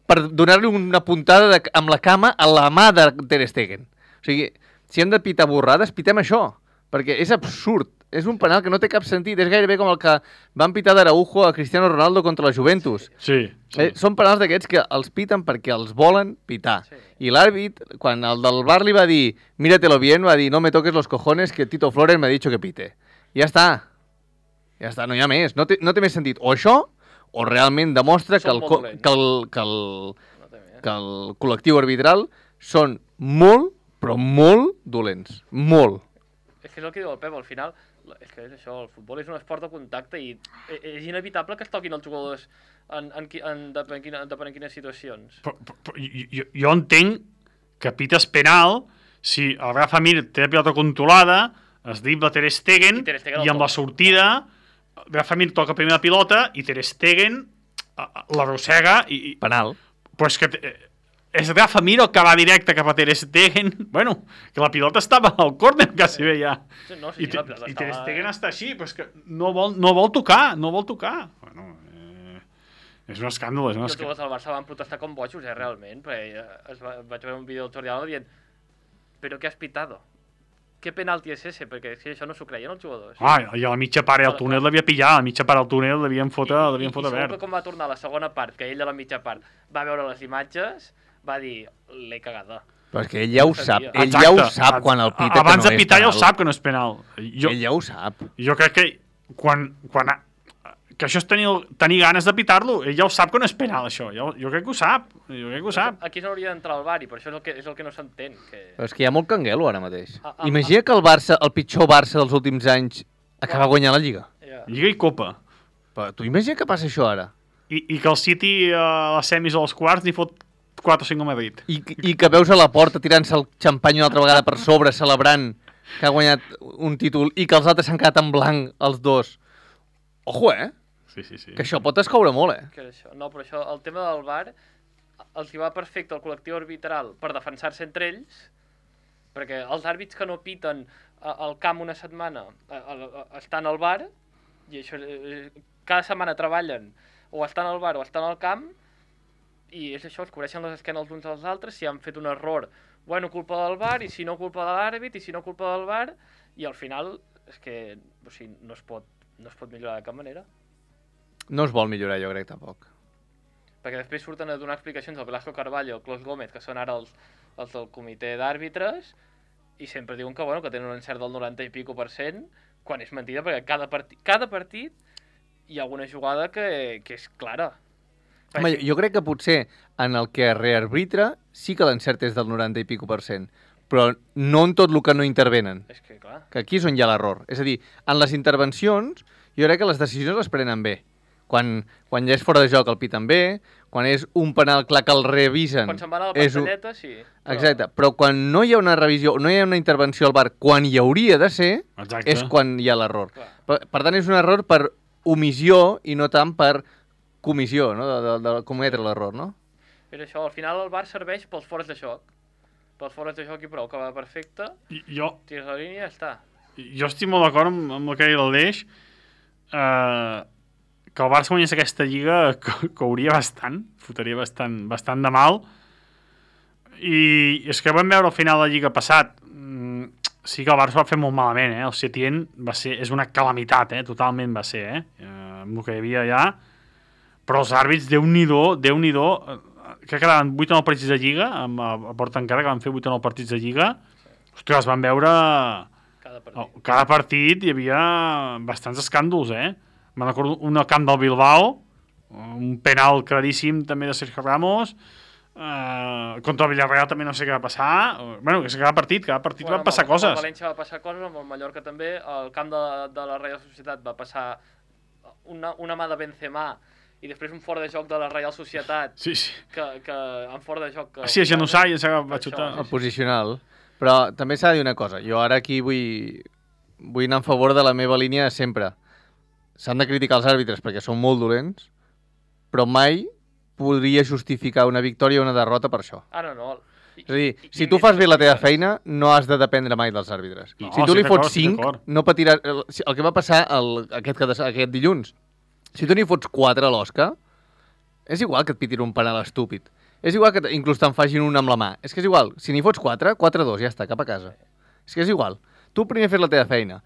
[SPEAKER 5] per donar-li una puntada de, amb la cama a la mà de Ter Stegen. O sigui, si hem de pitar borrades, pitem això, perquè és absurd. És un penal que no té cap sentit. És gairebé com el que van pitar d'Araujo a Cristiano Ronaldo contra la Juventus.
[SPEAKER 4] Sí, sí.
[SPEAKER 5] Eh, són penals d'aquests que els piten perquè els volen pitar.
[SPEAKER 2] Sí.
[SPEAKER 5] I l'àrbit, quan el del bar li va dir míratelo bien, va dir no me toques los cojones que Tito Flores me ha dicho que pite. I ja està. Ja està, no hi ha més. No té, no té més sentit. O això, o realment demostra que
[SPEAKER 2] Són
[SPEAKER 5] el,
[SPEAKER 2] molt
[SPEAKER 5] co-
[SPEAKER 2] dolents.
[SPEAKER 5] que, el, que, el,
[SPEAKER 2] No té més.
[SPEAKER 5] que el col·lectiu arbitral són molt, però molt dolents. Molt.
[SPEAKER 2] És que és el que diu el Pep, al final, és que és això, el futbol és un esport de contacte i e- és inevitable que es toquin els jugadors en, en, qui- en, depèn, quina, depèn en quines situacions.
[SPEAKER 4] Però, però, però jo, jo entenc que pites penal si el Rafa Mir té la pilota controlada, es dribla Ter Stegen
[SPEAKER 2] I Ter Stegen el
[SPEAKER 4] i amb la
[SPEAKER 2] toca.
[SPEAKER 4] sortida Rafa Mir toca primer la pilota i Ter Stegen eh, l'arrossega i, i...
[SPEAKER 5] Penal.
[SPEAKER 4] Però és que eh, és Rafa Mir el que va directe cap a Ter Stegen. Bueno, que la pilota estava al córner quasi bé ja.
[SPEAKER 2] Sí, no, sí,
[SPEAKER 4] I,
[SPEAKER 2] sí,
[SPEAKER 4] te-
[SPEAKER 2] la pilota
[SPEAKER 4] i Ter
[SPEAKER 2] estava-
[SPEAKER 4] Stegen està així, però és que no vol, no vol tocar, no vol tocar. Bueno, eh, és un escàndol, és un
[SPEAKER 2] I els
[SPEAKER 4] escàndol.
[SPEAKER 2] jugadors del Barça van protestar com bojos, eh, realment, perquè eh, es va, vaig veure un vídeo del Jordi Alba dient «Però què has pitado? ¿Qué penalti es ese?» Perquè és que això no s'ho creien els jugadors.
[SPEAKER 4] Ah, i a la mitja part al túnel l'havia pillat, a la mitja part al túnel l'havien fotre,
[SPEAKER 2] I,
[SPEAKER 4] l'havien
[SPEAKER 2] i,
[SPEAKER 4] fotre
[SPEAKER 2] i segur
[SPEAKER 4] verd.
[SPEAKER 2] que quan va tornar a la segona part, que ell a la mitja part va veure les imatges, va dir «L'he cagada».
[SPEAKER 5] Però és que ell ja ho
[SPEAKER 2] No
[SPEAKER 5] sap.
[SPEAKER 2] sabia.
[SPEAKER 5] Ell ja ho sap quan el pita
[SPEAKER 4] Abans
[SPEAKER 5] que no
[SPEAKER 4] de pitar
[SPEAKER 5] és
[SPEAKER 4] ja ho
[SPEAKER 5] penal.
[SPEAKER 4] sap que no és penal. Jo,
[SPEAKER 5] Ell ja ho sap.
[SPEAKER 4] jo crec que quan, quan ha- que això és tenir, tenir ganes de pitar-lo, ell ja ho sap que no és penal, això. Jo, jo crec que ho sap, jo crec que ho sap.
[SPEAKER 2] Aquí s'hauria d'entrar al bar i per això és el que, és el que no s'entén. Que...
[SPEAKER 5] Però és que hi ha molt canguelo ara mateix.
[SPEAKER 2] Ah, ah,
[SPEAKER 5] Imagina que el Barça, el pitjor Barça dels últims anys, acaba guanyant la Lliga.
[SPEAKER 2] Ja.
[SPEAKER 4] Lliga i Copa.
[SPEAKER 5] Però tu imagina que passa això ara.
[SPEAKER 4] I, i que el City a les semis o als quarts n'hi fot quatre o cinc a Madrid.
[SPEAKER 5] I, I que veus a la porta tirant-se el xampany una altra vegada per sobre, celebrant que ha guanyat un títol i que els altres s'han quedat en blanc, els dos. Ojo, eh?
[SPEAKER 4] Sí, sí, sí.
[SPEAKER 5] Que això pot escoure molt, eh?
[SPEAKER 2] Que és això. No, però això, el tema del bar, els hi va perfecte al col·lectiu arbitral per defensar-se entre ells, perquè els àrbits que no piten a- al camp una setmana a, a, a, estan al bar, i això, eh, cada setmana treballen o estan al bar o estan al camp, i és això, es cobreixen les esquenes els uns als altres, si han fet un error, bueno, culpa del bar, i si no, culpa de l'àrbit, i si no, culpa del bar, i al final és que o sigui, no, es pot, no es pot millorar de cap manera.
[SPEAKER 5] No es vol millorar, jo crec, tampoc.
[SPEAKER 2] Perquè després surten a donar explicacions el Velasco Carballo, el Clos Gómez, que són ara els, els del comitè d'àrbitres, i sempre diuen que, bueno, que tenen un encert del noranta i pico per cent, quan és mentida, perquè cada partit, cada partit hi ha alguna jugada que, que és clara.
[SPEAKER 5] Home, jo crec que potser en el que rearbitra sí que l'encert és del noranta i pico per cent, però no en tot el que no intervenen.
[SPEAKER 2] És que, clar,
[SPEAKER 5] Que aquí és on hi ha l'error. És a dir, en les intervencions, jo crec que les decisions les prenen bé. Quan, quan ja és fora de joc el piten bé, quan és un penal clar que el revisen...
[SPEAKER 2] Quan se'n van a la
[SPEAKER 5] és un-
[SPEAKER 2] pantalleta, sí. Però...
[SPEAKER 5] Exacte, però quan no hi ha una revisió, no hi ha una intervenció al bar, quan hi hauria de ser,
[SPEAKER 4] Exacte.
[SPEAKER 5] és quan hi ha l'error.
[SPEAKER 2] Clar.
[SPEAKER 5] Per, per tant, és un error per omissió i no tant per comissió, no? de, de, de cometre l'error, no?
[SPEAKER 2] És això, al final el bar serveix pels fores de joc. Pels fores de joc i prou, que va perfecte,
[SPEAKER 4] I- Jo,
[SPEAKER 2] tires la línia i ja està.
[SPEAKER 4] jo estic molt d'acord amb, amb el que deia l'Aleix, eh, que el Barça guanyés aquesta lliga co- cauria bastant, fotria bastant, bastant de mal, i és que vam veure al final de la lliga passat, mm, sí que el Barça va fer molt malament, eh? El Setién va ser, és una calamitat, eh? Totalment va ser, eh? eh amb el que hi havia allà, però els àrbits, Déu-n'hi-do, Déu-n'hi-do, eh, crec que quedaven vuit o nou partits de lliga, amb, a, a porta encara, que van fer vuit o nou partits de lliga, ostres, van veure...
[SPEAKER 2] Cada partit.
[SPEAKER 4] Oh, cada partit hi havia bastants escàndols, eh? Me'n recordo un al camp del Bilbao, un penal claríssim també de Sergio Ramos, eh, contra el Villarreal també no sé què va passar, bueno, que cada partit, cada partit
[SPEAKER 2] Bueno,
[SPEAKER 4] van passar
[SPEAKER 2] amb el,
[SPEAKER 4] coses.
[SPEAKER 2] Amb el València va passar coses, amb el Mallorca també, al camp de, de la Reial Societat va passar una, una mà de Benzema i després un fora de joc de la Reial Societat
[SPEAKER 4] Sí, sí.
[SPEAKER 2] que, que en fora de joc... Que,
[SPEAKER 4] Sí, a genoçar i va
[SPEAKER 2] Això,
[SPEAKER 4] xutar.
[SPEAKER 5] El posicional. Però també s'ha de dir una cosa. Jo ara aquí vull, vull anar en favor de la meva línia de sempre. S'han de criticar els àrbitres perquè són molt dolents, però mai podria justificar una victòria o una derrota per això.
[SPEAKER 2] Ah, no, no. I,
[SPEAKER 5] És a dir,
[SPEAKER 2] i-
[SPEAKER 5] si
[SPEAKER 2] i
[SPEAKER 5] tu
[SPEAKER 2] més
[SPEAKER 5] fas bé la teva
[SPEAKER 2] posicions.
[SPEAKER 5] feina, no has de dependre mai dels àrbitres.
[SPEAKER 4] No,
[SPEAKER 5] si tu
[SPEAKER 4] estic
[SPEAKER 5] li
[SPEAKER 4] d'acord,
[SPEAKER 5] fots
[SPEAKER 4] estic
[SPEAKER 5] cinc,
[SPEAKER 4] d'acord.
[SPEAKER 5] no patiràs... El, el que va passar el, aquest, aquest, aquest dilluns, si tu n'hi fots quatre a l'Osca, és igual que et pitin un penal estúpid. És igual que t- inclús te'n facin un amb la mà. És que és igual. Si n'hi fots quatre, quatre dos, ja està, cap a casa. És que és igual. Tu primer fes la teva feina.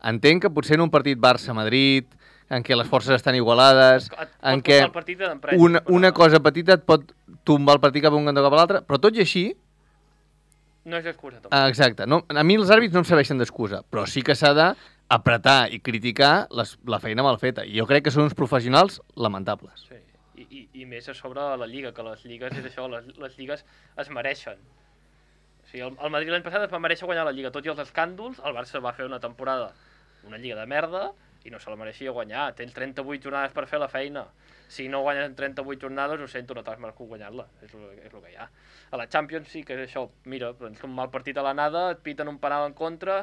[SPEAKER 5] Entenc que potser en un partit Barça-Madrid, en què les forces estan igualades,
[SPEAKER 2] Et pot
[SPEAKER 5] en
[SPEAKER 2] portar
[SPEAKER 5] què
[SPEAKER 2] el partit d'empresa,
[SPEAKER 5] una,
[SPEAKER 2] però
[SPEAKER 5] una
[SPEAKER 2] no.
[SPEAKER 5] cosa petita et pot tombar el partit cap a un cantó cap a l'altre, però tot i així,
[SPEAKER 2] No és excusa, tampoc.
[SPEAKER 5] ah, exacte, no, a mi els àrbits no em serveixen d'excusa, però sí que s'ha d'apretar i criticar les, la feina mal feta. I jo crec que són uns professionals lamentables.
[SPEAKER 2] Sí. I, i, I més a sobre la Lliga, que les lligues és això, les, les lligues es mereixen. O sigui, el, el Madrid l'any passat es va mereixer guanyar la Lliga, tot i els escàndols, el Barça va fer una temporada, una Lliga de merda, i no se la mereixia guanyar. Tens trenta-vuit jornades per fer la feina. Si no guanyes en trenta-vuit jornades, ho sento, no t'has merescut guanyar-la. És, lo- és el que hi ha. A la Champions sí que és això, mira, doncs un mal partit a l'anada, et piten un penal en contra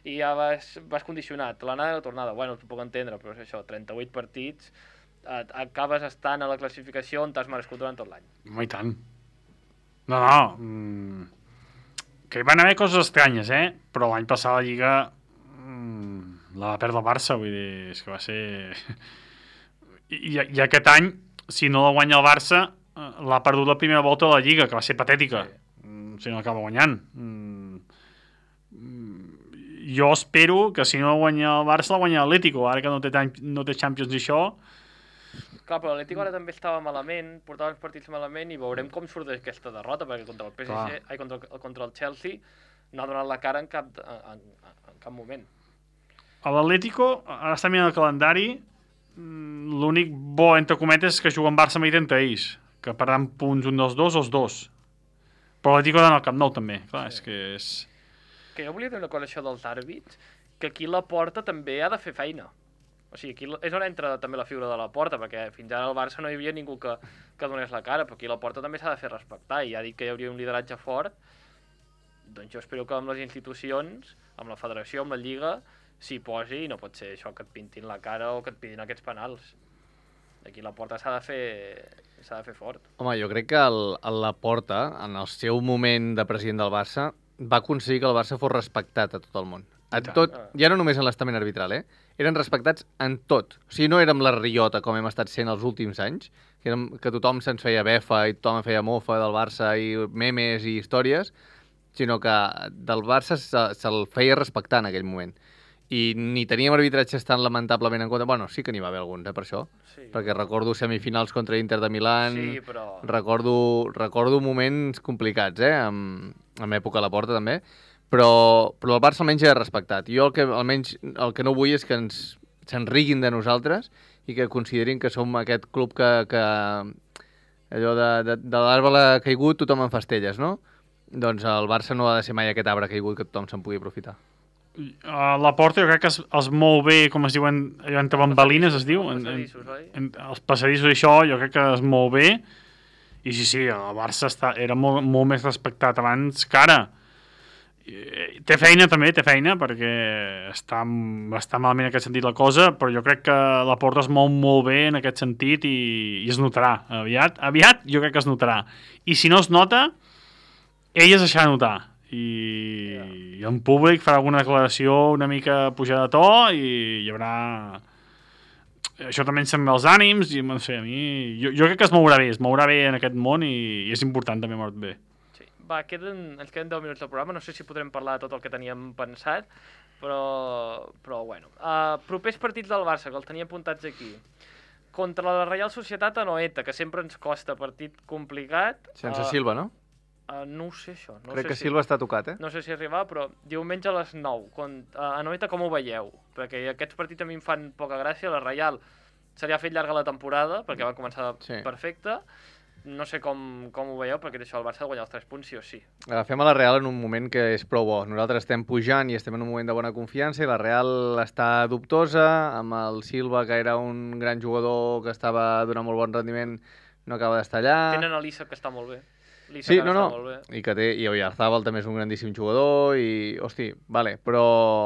[SPEAKER 2] i ja vas, vas condicionat. L'anada i la tornada, bueno, t'ho puc entendre, però és això, trenta-vuit partits, et, acabes estant a la classificació on t'has merescut durant tot l'any.
[SPEAKER 4] Home, i tant. No, no. Mm, que hi van haver coses estranyes, eh? Però l'any passat la Lliga mm, la va perdre el Barça, vull dir, és que va ser... I, i aquest any, si no la guanya el Barça, eh, l'ha perdut la primera volta de la Lliga, que va ser patètica. Mm, si no l'acaba guanyant. Mm, mm, jo espero que si no la guanya el Barça, la guanya l'Atlético, ara que no té, tan, no té Champions i això.
[SPEAKER 2] Clar, però l'Atlético ara també estava malament, portava uns partits malament i veurem com surt aquesta derrota, perquè contra el P S G,
[SPEAKER 4] Clar.
[SPEAKER 2] ai, contra, el, contra el Chelsea no ha donat la cara en cap, en, en, en cap moment.
[SPEAKER 4] A l'Atlético, ara està mirant el calendari, mm, l'únic bo, entre cometes, és que juguen Barça-Madrid entre ells, que perdran punts un dels dos o els dos. Però l'Atlético d'anar al Camp Nou també, clar, és que és...
[SPEAKER 2] Que jo volia dir una cosa això dels àrbits, que aquí la Porta també ha de fer feina. O sigui, aquí és on entra també la figura de la Porta, perquè fins ara al Barça no hi havia ningú que, que donés la cara, però aquí la Porta també s'ha de fer respectar, i ja ha dit que hi hauria un lideratge fort, doncs jo espero que amb les institucions, amb la federació, amb la Lliga, s'hi posi, i no pot ser això que et pintin la cara o que et pidin aquests penals. Aquí la Porta s'ha de fer s'ha de fer fort.
[SPEAKER 5] Home, jo crec que el, el Laporta, en el seu moment de president del Barça, va aconseguir que el Barça fos respectat a tot el món. A
[SPEAKER 4] tant.
[SPEAKER 5] tot, ja no només en l'estament arbitral, eh? Eren respectats en tot. O sigui, no érem la riota com hem estat sent els últims anys, que, érem, que tothom se'ns feia befa i tothom feia mofa del Barça i memes i històries, sinó que del Barça se, se'l feia respectar en aquell moment. I ni teníem arbitratges tan lamentablement en compte. Bueno, sí que n'hi va haver alguns, eh, per això.
[SPEAKER 2] Sí,
[SPEAKER 5] Perquè recordo semifinals contra Inter de Milán,
[SPEAKER 2] sí però...
[SPEAKER 5] recordo, recordo moments complicats, eh, amb, amb època a la Porta també, però, però el Barça almenys era respectat. Jo el que, almenys el que no vull és que ens se'n riguin de nosaltres i que considerin que som aquest club que, que allò de, de, de l'arbre caigut tothom en fa estelles, no? Doncs el Barça no ha de ser mai aquest arbre caigut que tothom se'n pugui aprofitar.
[SPEAKER 4] Uh, la Porta jo crec que es, es mou bé, com es diuen, allò entre bambalines es diu, en, en,
[SPEAKER 2] Passadissos, oi?
[SPEAKER 4] en, els passadissos i això jo crec que es mou bé, i sí, sí, el Barça està, era molt, molt més respectat abans que ara. I, té feina també, té feina, perquè està, està malament en aquest sentit la cosa, però jo crec que la Porta es mou molt bé en aquest sentit i, i es notarà. Aviat, aviat jo crec que es notarà. I si no es nota, ell es deixarà notar. I, yeah. i en públic farà alguna declaració una mica pujada de to i hi haurà... Això també ens sembla els ànims i no sé, a mi... Jo, jo crec que es mourà bé, es mourà bé en aquest món i, i és important també moure't bé.
[SPEAKER 2] Sí. Va, queden, ens queden deu minuts de programa, no sé si podrem parlar de tot el que teníem pensat, però, però bueno. Uh, propers partits del Barça, que els tenia apuntats aquí. Contra la Reial Societat a Noeta, que sempre ens costa, partit complicat.
[SPEAKER 5] Sense
[SPEAKER 2] uh,
[SPEAKER 5] Silva, no?
[SPEAKER 2] Uh, no ho sé, això. No
[SPEAKER 5] Crec
[SPEAKER 2] sé
[SPEAKER 5] que
[SPEAKER 2] si...
[SPEAKER 5] Silva està tocat, eh?
[SPEAKER 2] No sé si arribar, però diumenge a les nou. Con... Uh, a Noeta com ho veieu? Perquè aquests partits a mi em fan poca gràcia. La Reial se li ha fet llarga la temporada, perquè va començar
[SPEAKER 5] Sí.
[SPEAKER 2] perfecte. No sé com, com ho veieu, perquè això el Barça ha de guanyar els tres punts sí o sí.
[SPEAKER 5] Agafem a la Real en un moment que és prou bo. Nosaltres estem pujant i estem en un moment de bona confiança i la Real està dubtosa, amb el Silva, que era un gran jugador que estava donant molt bon rendiment, no acaba d'estar allà.
[SPEAKER 2] Tenen a l'Issa, que està molt bé. L'Issa
[SPEAKER 5] Sí,
[SPEAKER 2] que
[SPEAKER 5] no,
[SPEAKER 2] està
[SPEAKER 5] no,
[SPEAKER 2] molt bé.
[SPEAKER 5] i que té, i Oyarzabal també és un grandíssim jugador i, hosti, vale, però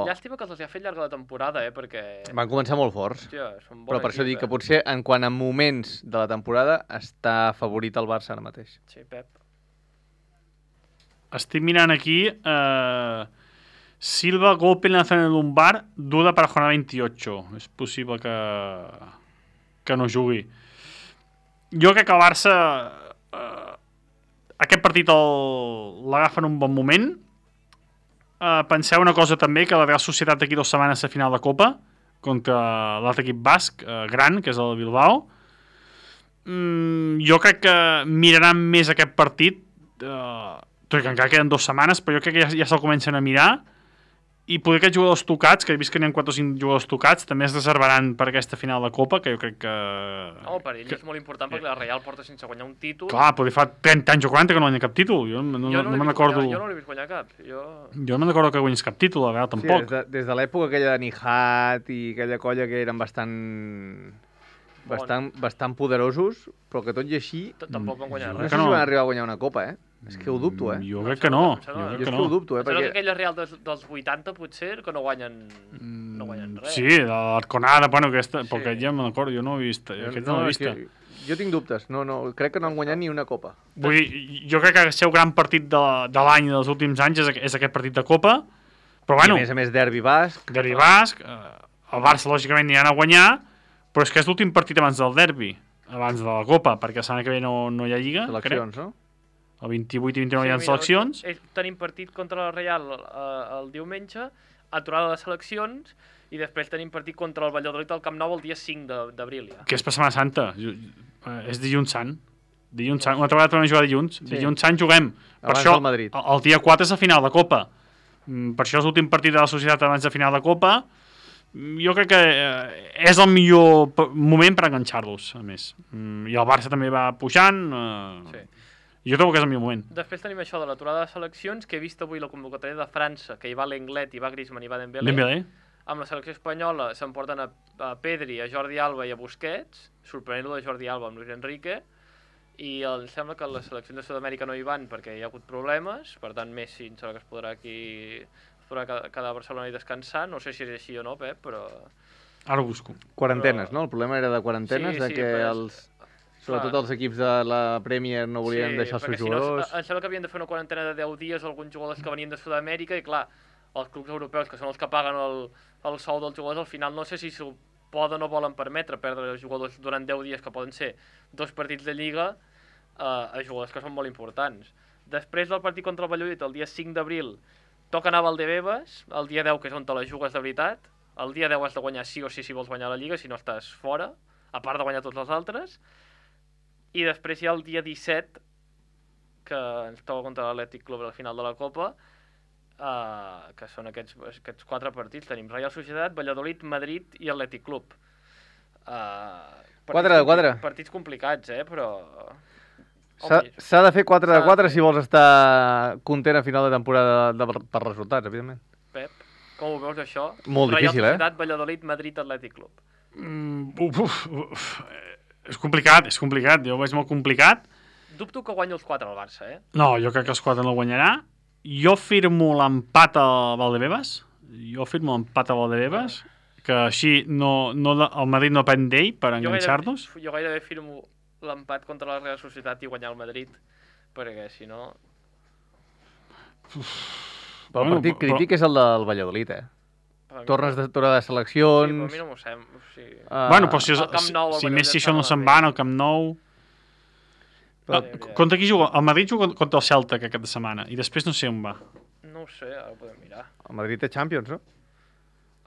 [SPEAKER 2] Llàstima que els ha fet llarga la temporada, eh, perquè...
[SPEAKER 5] van començar molt forts.
[SPEAKER 2] Hòstia, són bon
[SPEAKER 5] Però per això
[SPEAKER 2] equip,
[SPEAKER 5] dic que
[SPEAKER 2] eh?
[SPEAKER 5] potser en quant a moments de la temporada està favorit el Barça ara mateix.
[SPEAKER 2] Sí, Pep.
[SPEAKER 4] Estic mirant aquí... Eh, Silva, golpe en la zona lumbar, duda para jornada veintiocho. És possible que, que no jugui. Jo crec que el Barça... Eh, aquest partit l'agafa en un bon moment. Uh, penseu una cosa també, que la Real Societat d'aquí dues setmanes a final de Copa contra l'altre equip basc, uh, gran, que és el Bilbao. Mm, jo crec que miraran més aquest partit, uh, tot i que encara queden dues setmanes, però jo crec que ja, ja se'l comencen a mirar. I poder aquests jugadors tocats, que he vist que n'hi ha quatre o cinc jugadors tocats, també es reservaran per aquesta final de Copa, que jo crec que...
[SPEAKER 2] No, per ell
[SPEAKER 4] que...
[SPEAKER 2] és molt important, perquè la Real porta sense guanyar un títol.
[SPEAKER 4] Clar, potser fa trenta anys o quaranta que no guanya cap títol. Jo no, no,
[SPEAKER 2] jo
[SPEAKER 4] no,
[SPEAKER 2] no
[SPEAKER 4] me'n recordo...
[SPEAKER 2] Jo no l'he vist guanyar cap. Jo,
[SPEAKER 4] jo no me'n recordo que guanyés cap títol, la veritat, tampoc.
[SPEAKER 5] Sí, des de, des de l'època aquella de Nihat i aquella colla que eren bastant... Bastant, bastant poderosos, però que tot i així...
[SPEAKER 2] Tampoc van guanyar
[SPEAKER 5] No
[SPEAKER 2] res.
[SPEAKER 5] sé
[SPEAKER 4] no.
[SPEAKER 5] si van arribar a guanyar una copa, eh? És que ho dubto, eh?
[SPEAKER 4] Jo crec que no.
[SPEAKER 2] Em
[SPEAKER 4] Jo
[SPEAKER 2] sembla-
[SPEAKER 4] crec
[SPEAKER 5] Jo
[SPEAKER 4] que
[SPEAKER 5] és que
[SPEAKER 4] no.
[SPEAKER 5] ho dubto, eh?
[SPEAKER 2] Em sembla que
[SPEAKER 5] Perquè...
[SPEAKER 2] aquella Real dels, dels vuitanta, potser, que no guanyen, no guanyen res.
[SPEAKER 4] Sí, de l'Arconada, bueno, aquesta,
[SPEAKER 2] Sí.
[SPEAKER 4] perquè ja me'n recordo, jo no ho he vist, aquest no,
[SPEAKER 5] no,
[SPEAKER 4] l'he
[SPEAKER 5] és
[SPEAKER 4] vist.
[SPEAKER 5] que jo tinc dubtes. No, no, crec que no han guanyat ni una copa.
[SPEAKER 4] Vull dir, jo crec que el seu gran partit de, de l'any dels últims anys és, és aquest partit de Copa, però bueno,
[SPEAKER 5] I a més a més, derbi basc.
[SPEAKER 4] derbi basc, eh, el Barça lògicament aniran a guanyar, però és que és l'últim partit abans del derbi, abans de la Copa, perquè la setmana que ve no, no hi ha Lliga,
[SPEAKER 5] Seleccions,
[SPEAKER 4] crec.
[SPEAKER 5] no?
[SPEAKER 4] El vint-i-vuit i vint-i-nou hi ha
[SPEAKER 2] mira,
[SPEAKER 4] seleccions.
[SPEAKER 2] eh, Tenim partit contra la Real eh, el diumenge, aturada de seleccions, i després tenim partit contra el Valladolid al Camp Nou el dia cinc d'abril, ja.
[SPEAKER 4] Que és per Setmana Santa. Ju- eh, És dilluns sant. Dilluns sant. Una altra vegada tornem a jugar dilluns.
[SPEAKER 5] Sí.
[SPEAKER 4] Dilluns sant juguem. Per
[SPEAKER 5] Abans
[SPEAKER 4] això,
[SPEAKER 5] del Madrid.
[SPEAKER 4] el, el dia quatre és la final de Copa. Mm, Per això és l'últim partit de la societat abans de final de Copa. Mm, Jo crec que eh, és el millor p- moment per enganxar-los, a més. Mm, I el Barça també va pujant. Eh,
[SPEAKER 2] Sí.
[SPEAKER 4] Jo trobo que és el millor moment.
[SPEAKER 2] Després tenim això de l'aturada de seleccions, que he vist avui la convocatòria de França, que hi va Lenglet, hi va Griezmann, hi va Dembélé.
[SPEAKER 4] Dembélé.
[SPEAKER 2] Amb la selecció espanyola s'emporten a, a Pedri, a Jordi Alba i a Busquets, sorprenent-lo de Jordi Alba amb Luis Enrique, i el, em sembla que les seleccions de Sud-amèrica no hi van perquè hi ha hagut problemes, per tant Messi em sembla que es podrà aquí es podrà quedar quedar a Barcelona i descansar, no sé si és així o no, Pep, però...
[SPEAKER 4] Ara ho busco.
[SPEAKER 5] Quarantenes,
[SPEAKER 2] Però-
[SPEAKER 5] no? El problema era de quarantenes,
[SPEAKER 2] Sí,
[SPEAKER 5] de
[SPEAKER 2] sí,
[SPEAKER 5] que
[SPEAKER 2] però és-
[SPEAKER 5] els... Sobretot
[SPEAKER 2] Clar.
[SPEAKER 5] els equips de la Premier no volien deixar els
[SPEAKER 2] perquè
[SPEAKER 5] seus
[SPEAKER 2] si no,
[SPEAKER 5] jugadors.
[SPEAKER 2] em sembla que havien de fer una quarantena de deu dies alguns jugadors que venien de Sud-amèrica i clar, els clubs europeus, que són els que paguen el, el sou dels jugadors, al final no sé si s'ho poden o volen permetre perdre els jugadors durant deu dies, que poden ser dos partits de Lliga, eh, a jugadors que són molt importants. Després del partit contra el Valladolid, el dia cinc d'abril, toca anar a Valdebebas, el dia deu, que és on te la jugues de veritat. El dia deu has de guanyar sí o sí si vols guanyar la Lliga, si no estàs fora, a part de guanyar tots els altres. I després hi ha el dia disset, que ens toca contra l'Atlètic Club a la final de la Copa, uh, que són aquests, aquests quatre partits. Tenim Real Societat, Valladolid, Madrid i Atlètic Club. Uh,
[SPEAKER 5] Quatre de quatre.
[SPEAKER 2] Partits complicats, eh, però...
[SPEAKER 5] S'ha
[SPEAKER 2] Home,
[SPEAKER 5] s'ha de fer quatre
[SPEAKER 2] s'ha
[SPEAKER 5] de
[SPEAKER 2] de
[SPEAKER 5] quatre
[SPEAKER 2] fer.
[SPEAKER 5] si vols estar content a final de temporada de, de, per resultats, evidentment.
[SPEAKER 2] Pep, Com ho veus, això?
[SPEAKER 5] Molt difícil,
[SPEAKER 2] Real
[SPEAKER 5] eh?
[SPEAKER 2] Societat, Valladolid, Madrid, Atlètic Club.
[SPEAKER 4] Mm, uf, uf, uf, és complicat, és complicat. Jo ho veig molt complicat.
[SPEAKER 2] Dubto que guanyi els quatre al Barça, eh?
[SPEAKER 4] No, jo crec que els quatre no guanyarà. Jo firmo l'empat a Valdebebas. Jo firmo l'empat a Valdebebas, que així no, no, el Madrid no depèn d'ell per enganxar-nos.
[SPEAKER 2] Jo, jo gairebé firmo l'empat contra la Real Societat i guanyar el Madrid, perquè si no...
[SPEAKER 5] Però el
[SPEAKER 4] Bueno,
[SPEAKER 5] partit
[SPEAKER 4] però-
[SPEAKER 5] crític és el del Valladolid, eh?
[SPEAKER 2] per mi
[SPEAKER 5] Tornes
[SPEAKER 2] no.
[SPEAKER 5] de tornar de
[SPEAKER 2] Sí, però a
[SPEAKER 5] seleccions...
[SPEAKER 2] mi no m'ho sembla. O sigui...
[SPEAKER 5] Ah,
[SPEAKER 4] Bueno, però si,
[SPEAKER 2] Al Camp
[SPEAKER 4] si,
[SPEAKER 2] Nou, el
[SPEAKER 4] si
[SPEAKER 2] Valladolid
[SPEAKER 4] Messi
[SPEAKER 2] està
[SPEAKER 4] això no se'n
[SPEAKER 2] malament.
[SPEAKER 4] va al Camp Nou...
[SPEAKER 5] Però-
[SPEAKER 4] Ah, contra qui juga? El Madrid juga contra el Celta aquesta setmana i després no sé on va.
[SPEAKER 2] No ho sé, ara ho podem mirar.
[SPEAKER 5] El Madrid té Champions, no?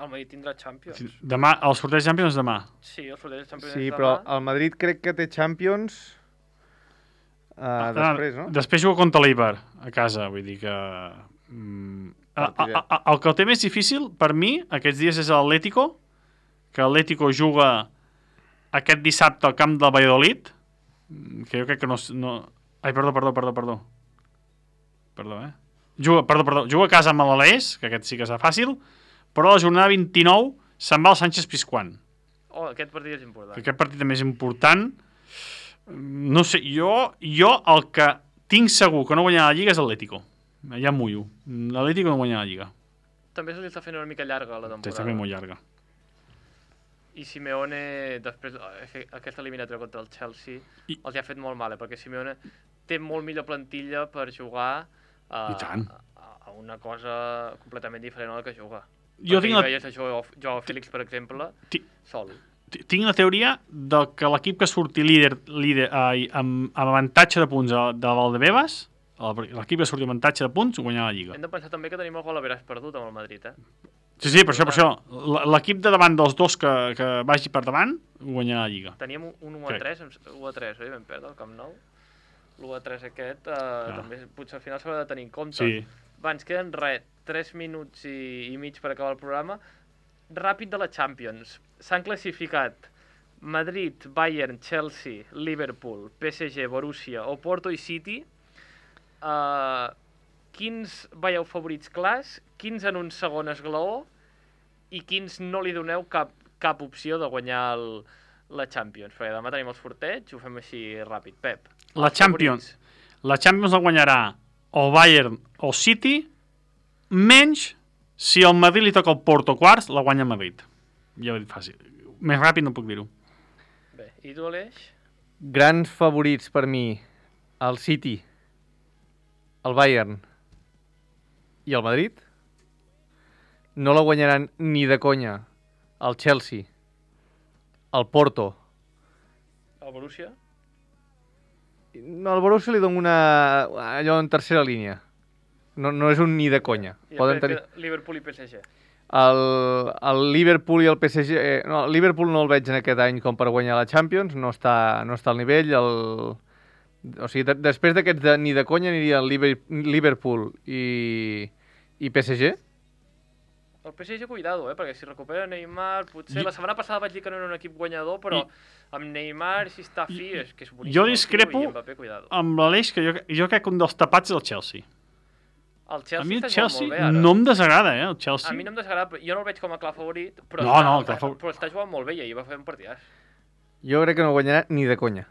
[SPEAKER 2] El Madrid tindrà Champions.
[SPEAKER 4] Demà, el sorteig Champions demà.
[SPEAKER 2] Sí, el sorteig de Champions
[SPEAKER 5] Sí,
[SPEAKER 2] és
[SPEAKER 5] però
[SPEAKER 2] demà.
[SPEAKER 5] el Madrid crec que té Champions uh, després, no?
[SPEAKER 4] Després juga contra l'Eibar a casa, vull dir que... Mm, a, a, a, el que el té més difícil, per mi, aquests dies és l'Atlético, que l'Atlético juga aquest dissabte al camp del Valladolid, que jo crec que no... no... Ai, perdó, perdó, perdó, perdó. Perdó, eh? Juga, perdó, perdó, juga a casa amb l'Alés, que aquest sí que és fàcil, però a la jornada vint-i-nou se'n va al Sánchez Pizjuán.
[SPEAKER 2] Oh, aquest partit és important.
[SPEAKER 4] Que aquest partit també és important. No sé, jo, jo el que tinc segur que no guanyarà la Lliga és l'Atlético. Ja em mullo. L'Atlético no guanyarà la Lliga.
[SPEAKER 2] També se li està fent una mica llarga la temporada.
[SPEAKER 4] Està fent molt llarga.
[SPEAKER 2] I Simeone, després, aquesta eliminatòria contra el Chelsea,
[SPEAKER 4] I...
[SPEAKER 2] els ha fet molt mal, eh? Perquè Simeone té molt millor plantilla per jugar a,
[SPEAKER 4] I tant.
[SPEAKER 2] a, a una cosa completament diferent a la que juga.
[SPEAKER 4] Jo
[SPEAKER 2] Perquè
[SPEAKER 4] tinc
[SPEAKER 2] hi
[SPEAKER 4] la...
[SPEAKER 2] veies a Joao, Joao Félix, per exemple,
[SPEAKER 4] Ti-
[SPEAKER 2] sol.
[SPEAKER 4] ti- Tinc la teoria de que l'equip que surti líder, líder ai, amb, amb avantatge de punts de, de Valdebebas, el- l'equip que surti amb avantatge de punts, guanyarà la Lliga.
[SPEAKER 2] Hem de pensar també que tenim el gol a veràs perdut amb el Madrid, eh?
[SPEAKER 4] Sí, sí, per això, per això. L- L'equip de davant dels dos que, que vagi per davant, guanyarà la Lliga.
[SPEAKER 2] Teníem un u a tres, u a tres, oi? Vam perdre el Camp Nou. L'u a tres aquest, eh,
[SPEAKER 4] Ah.
[SPEAKER 2] també potser al final s'haurà de tenir en compte.
[SPEAKER 4] Sí.
[SPEAKER 2] Va, ens queden res, tres minuts i, i mig per acabar el programa. Ràpid de la Champions. S'han classificat Madrid, Bayern, Chelsea, Liverpool, P S G, Borussia, Oporto i City. Uh, quins veieu favorits clars, quins en un segon esglaó i quins no li doneu cap, cap opció de guanyar el, la Champions? Perquè demà tenim el sorteig, ho fem així ràpid. Pep,
[SPEAKER 4] La
[SPEAKER 2] els
[SPEAKER 4] Champions.
[SPEAKER 2] favorits.
[SPEAKER 4] La Champions la guanyarà o Bayern o City, menys si el Madrid li toca el Porto quarts, la guanya el Madrid. Ja ho he dit fàcil. Més ràpid no puc dir-ho.
[SPEAKER 2] Bé, i tu, Aleix?
[SPEAKER 5] Grans favorits per mi, el City, el Bayern i el Madrid. No la guanyaran ni de conya el Chelsea, el Porto.
[SPEAKER 2] El Borussia?
[SPEAKER 5] No, al Borussia li dono una... allò en tercera línia. No, no és un ni de conya.
[SPEAKER 2] I
[SPEAKER 5] Poden
[SPEAKER 2] després
[SPEAKER 5] tenir...
[SPEAKER 2] que Liverpool i P S G.
[SPEAKER 5] El, el Liverpool i el P S G... Eh, no, el Liverpool no el veig en aquest any com per guanyar la Champions, no està, no està al nivell. El, o sigui, de, després d'aquests de, ni de conya aniria el Liber, Liverpool i, i P S G.
[SPEAKER 2] El P S G, cuidado, eh? Perquè si recupera Neymar, potser...
[SPEAKER 4] Jo-
[SPEAKER 2] La setmana passada vaig dir que no era un equip guanyador, però amb Neymar, si està fi, és que és boníssim.
[SPEAKER 4] Jo
[SPEAKER 2] el tio,
[SPEAKER 4] discrepo
[SPEAKER 2] I Mbappé, cuidado.
[SPEAKER 4] amb l'Aleix, que jo, jo crec que un dels tapats és el Chelsea.
[SPEAKER 2] El Chelsea,
[SPEAKER 4] A mi el
[SPEAKER 2] està jugant
[SPEAKER 4] Chelsea
[SPEAKER 2] molt bé, ara.
[SPEAKER 4] no em desagrada, eh, el Chelsea.
[SPEAKER 2] A mi no em desagrada, jo no el veig com a clar favorit, però,
[SPEAKER 4] No,
[SPEAKER 2] està,
[SPEAKER 4] no, clar favorit.
[SPEAKER 2] però està jugant molt bé i ahir va fer un partidàs.
[SPEAKER 5] Jo crec que no guanyarà ni de conya.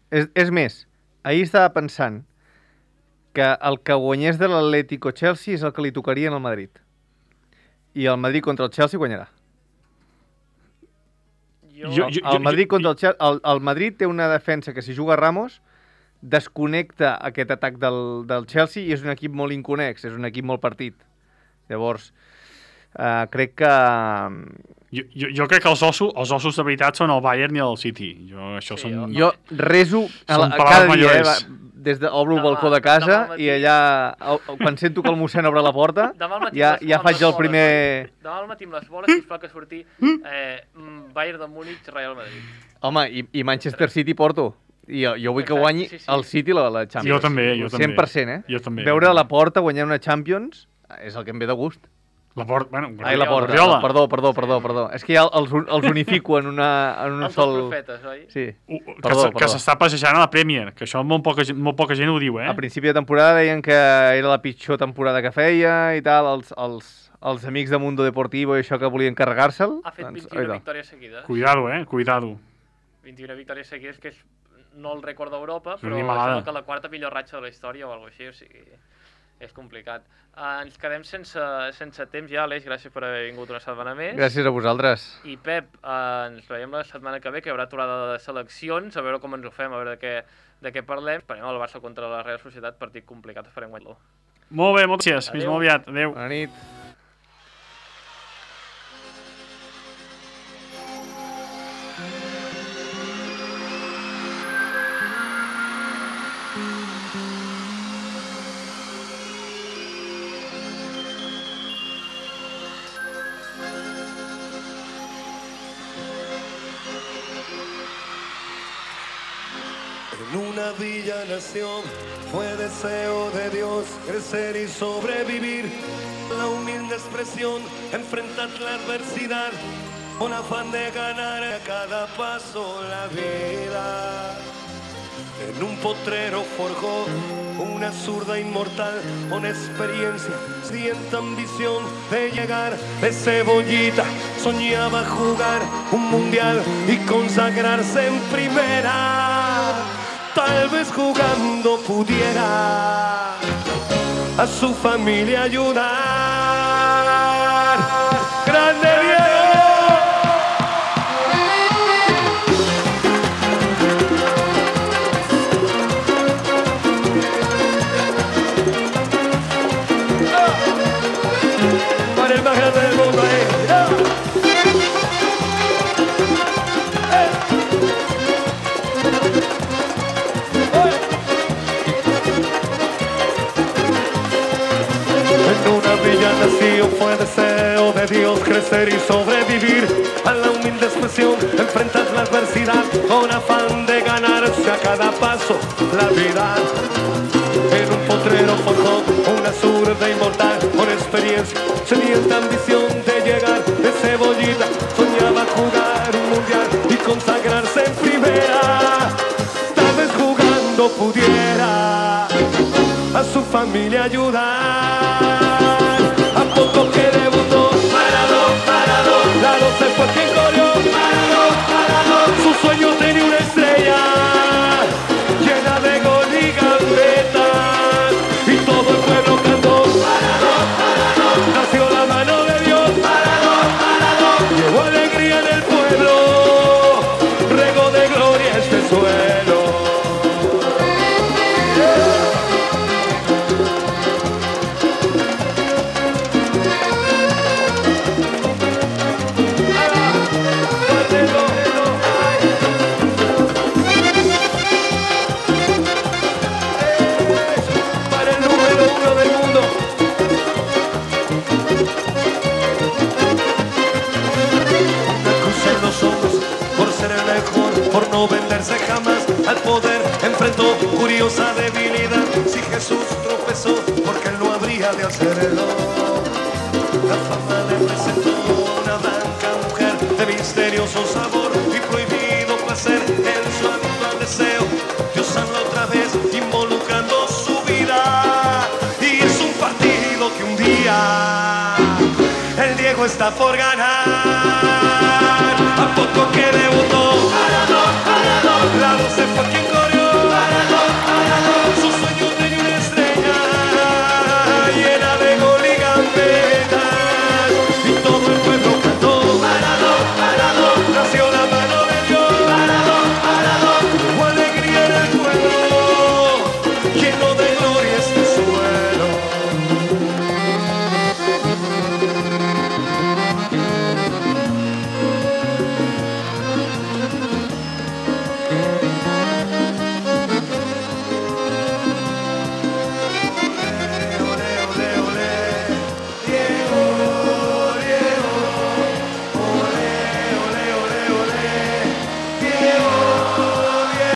[SPEAKER 5] És, és més, ahir estava pensant que el que guanyés de l'Atlético Chelsea és el que li tocaria en el Madrid. I el Madrid contra el Chelsea guanyarà.
[SPEAKER 2] Jo,
[SPEAKER 4] Jo-
[SPEAKER 5] El, el Madrid contra el Chelsea... El, el Madrid té una defensa que si juga Ramos desconnecta aquest atac del, del Chelsea i és un equip molt inconex, és un equip molt partit. Llavors, uh, crec que...
[SPEAKER 4] Jo, jo, jo crec que els ossos, els ossos de veritat són el Bayern i el City. Jo, això
[SPEAKER 2] Sí,
[SPEAKER 4] són...
[SPEAKER 2] jo-
[SPEAKER 5] Jo rezo a la,
[SPEAKER 4] Són
[SPEAKER 5] a
[SPEAKER 4] paraules
[SPEAKER 5] cada dia, eh,
[SPEAKER 4] majores.
[SPEAKER 5] va, des de, obro el
[SPEAKER 2] Demà-
[SPEAKER 5] balcó de
[SPEAKER 2] demà
[SPEAKER 5] casa
[SPEAKER 2] al matí.
[SPEAKER 5] i allà, o- quan sento que el mossèn obre la porta,
[SPEAKER 2] Demà al matí
[SPEAKER 5] ja,
[SPEAKER 2] amb les-
[SPEAKER 5] ja
[SPEAKER 2] amb
[SPEAKER 5] faig
[SPEAKER 2] les
[SPEAKER 5] el
[SPEAKER 2] boles,
[SPEAKER 5] primer...
[SPEAKER 2] noi. Demà al matí amb les boles, sisplau que surti eh, mm, Bayern de Múnich, Real Madrid.
[SPEAKER 5] Home, i, i Manchester City Porto. I jo, jo vull que
[SPEAKER 2] Exacte,
[SPEAKER 5] guanyi
[SPEAKER 2] sí, sí.
[SPEAKER 5] el City la, la Champions.
[SPEAKER 4] Jo també, jo també.
[SPEAKER 5] cent per cent, eh?
[SPEAKER 4] Jo també.
[SPEAKER 5] Veure a la porta guanyar una Champions és el que em ve de gust.
[SPEAKER 4] La porta, bueno,
[SPEAKER 5] Ai, la porta.
[SPEAKER 4] Guardiola.
[SPEAKER 5] Perdó, perdó, perdó, perdó. És que ja els, els unifico en, una, en un
[SPEAKER 2] Els
[SPEAKER 5] sol...
[SPEAKER 2] dos profetes, oi?
[SPEAKER 5] Sí.
[SPEAKER 4] Uh, uh, que
[SPEAKER 5] Perdó,
[SPEAKER 4] se-
[SPEAKER 5] perdó.
[SPEAKER 4] que s'està passejant a la Premier, que això molt poca, gent- molt poca gent ho diu, eh?
[SPEAKER 5] A principi de temporada deien que era la pitjor temporada que feia i tal, els, els, els amics de Mundo Deportivo i això que volien carregar-se'l...
[SPEAKER 2] Ha fet
[SPEAKER 5] doncs,
[SPEAKER 2] vint-i-una victòries seguides.
[SPEAKER 4] Cuidado, eh? Cuidado.
[SPEAKER 2] vint-i-una victòries seguides, que és no el rècord d'Europa,
[SPEAKER 4] És
[SPEAKER 2] però
[SPEAKER 4] una animalada.
[SPEAKER 2] sembla que la quarta millor ratxa de la història o alguna cosa així, o sigui, és complicat. Uh, ens quedem sense, sense temps ja, Aleix, gràcies per haver vingut una setmana més.
[SPEAKER 5] Gràcies a vosaltres.
[SPEAKER 2] I Pep, uh, ens veiem la setmana que ve, que hi haurà aturada de seleccions, a veure com ens ho fem, a veure de què, de què parlem. Esperem el Barça contra la Real Societat, partit complicat, esperem guanyar-lo.
[SPEAKER 4] Molt bé, moltes gràcies. Fins
[SPEAKER 2] Adéu.
[SPEAKER 4] molt aviat. Adéu.
[SPEAKER 5] Bona nit.
[SPEAKER 6] En una villa nació, fue deseo de Dios crecer y sobrevivir. La humilde expresión, enfrentar la adversidad, con afán de ganar a cada paso la vida. En un potrero forjó una zurda inmortal, con experiencia, sienta ambición de llegar de cebollita. Soñaba jugar un mundial y consagrarse en primera. Tal vez jugando pudiera a su familia ayudar. ¡Grande Diego! Para el más grande del mundo, eh. Nació, fue deseo de Dios crecer y sobrevivir. A la humilde expresión, enfrentar la adversidad, con afán de ganarse a cada paso la vida. En un potrero forjó una zurda inmortal, con experiencia, sedienta ambición de llegar de cebollita. Soñaba jugar un mundial y consagrarse en primera. Tal vez jugando pudiera a su familia ayudar. A poco que debutó, parado, parado, la doce fue quien corrió, parado, parado. Su sueño tenía una estrella llena de gol y gambetas, y todo el pueblo cantó, parado, parado. Nació la mano de Dios, parado, parado. Llevó alegría en el pueblo, regó de gloria este suelo. Por no venderse jamás al poder, enfrentó curiosa debilidad. Si Jesús tropezó, porque él no habría de hacerlo. La fama le presentó una blanca mujer de misterioso sabor y prohibido placer en su habitual deseo. Dios habla otra vez, involucrando su vida. Y es un partido que un día el Diego está por ganar.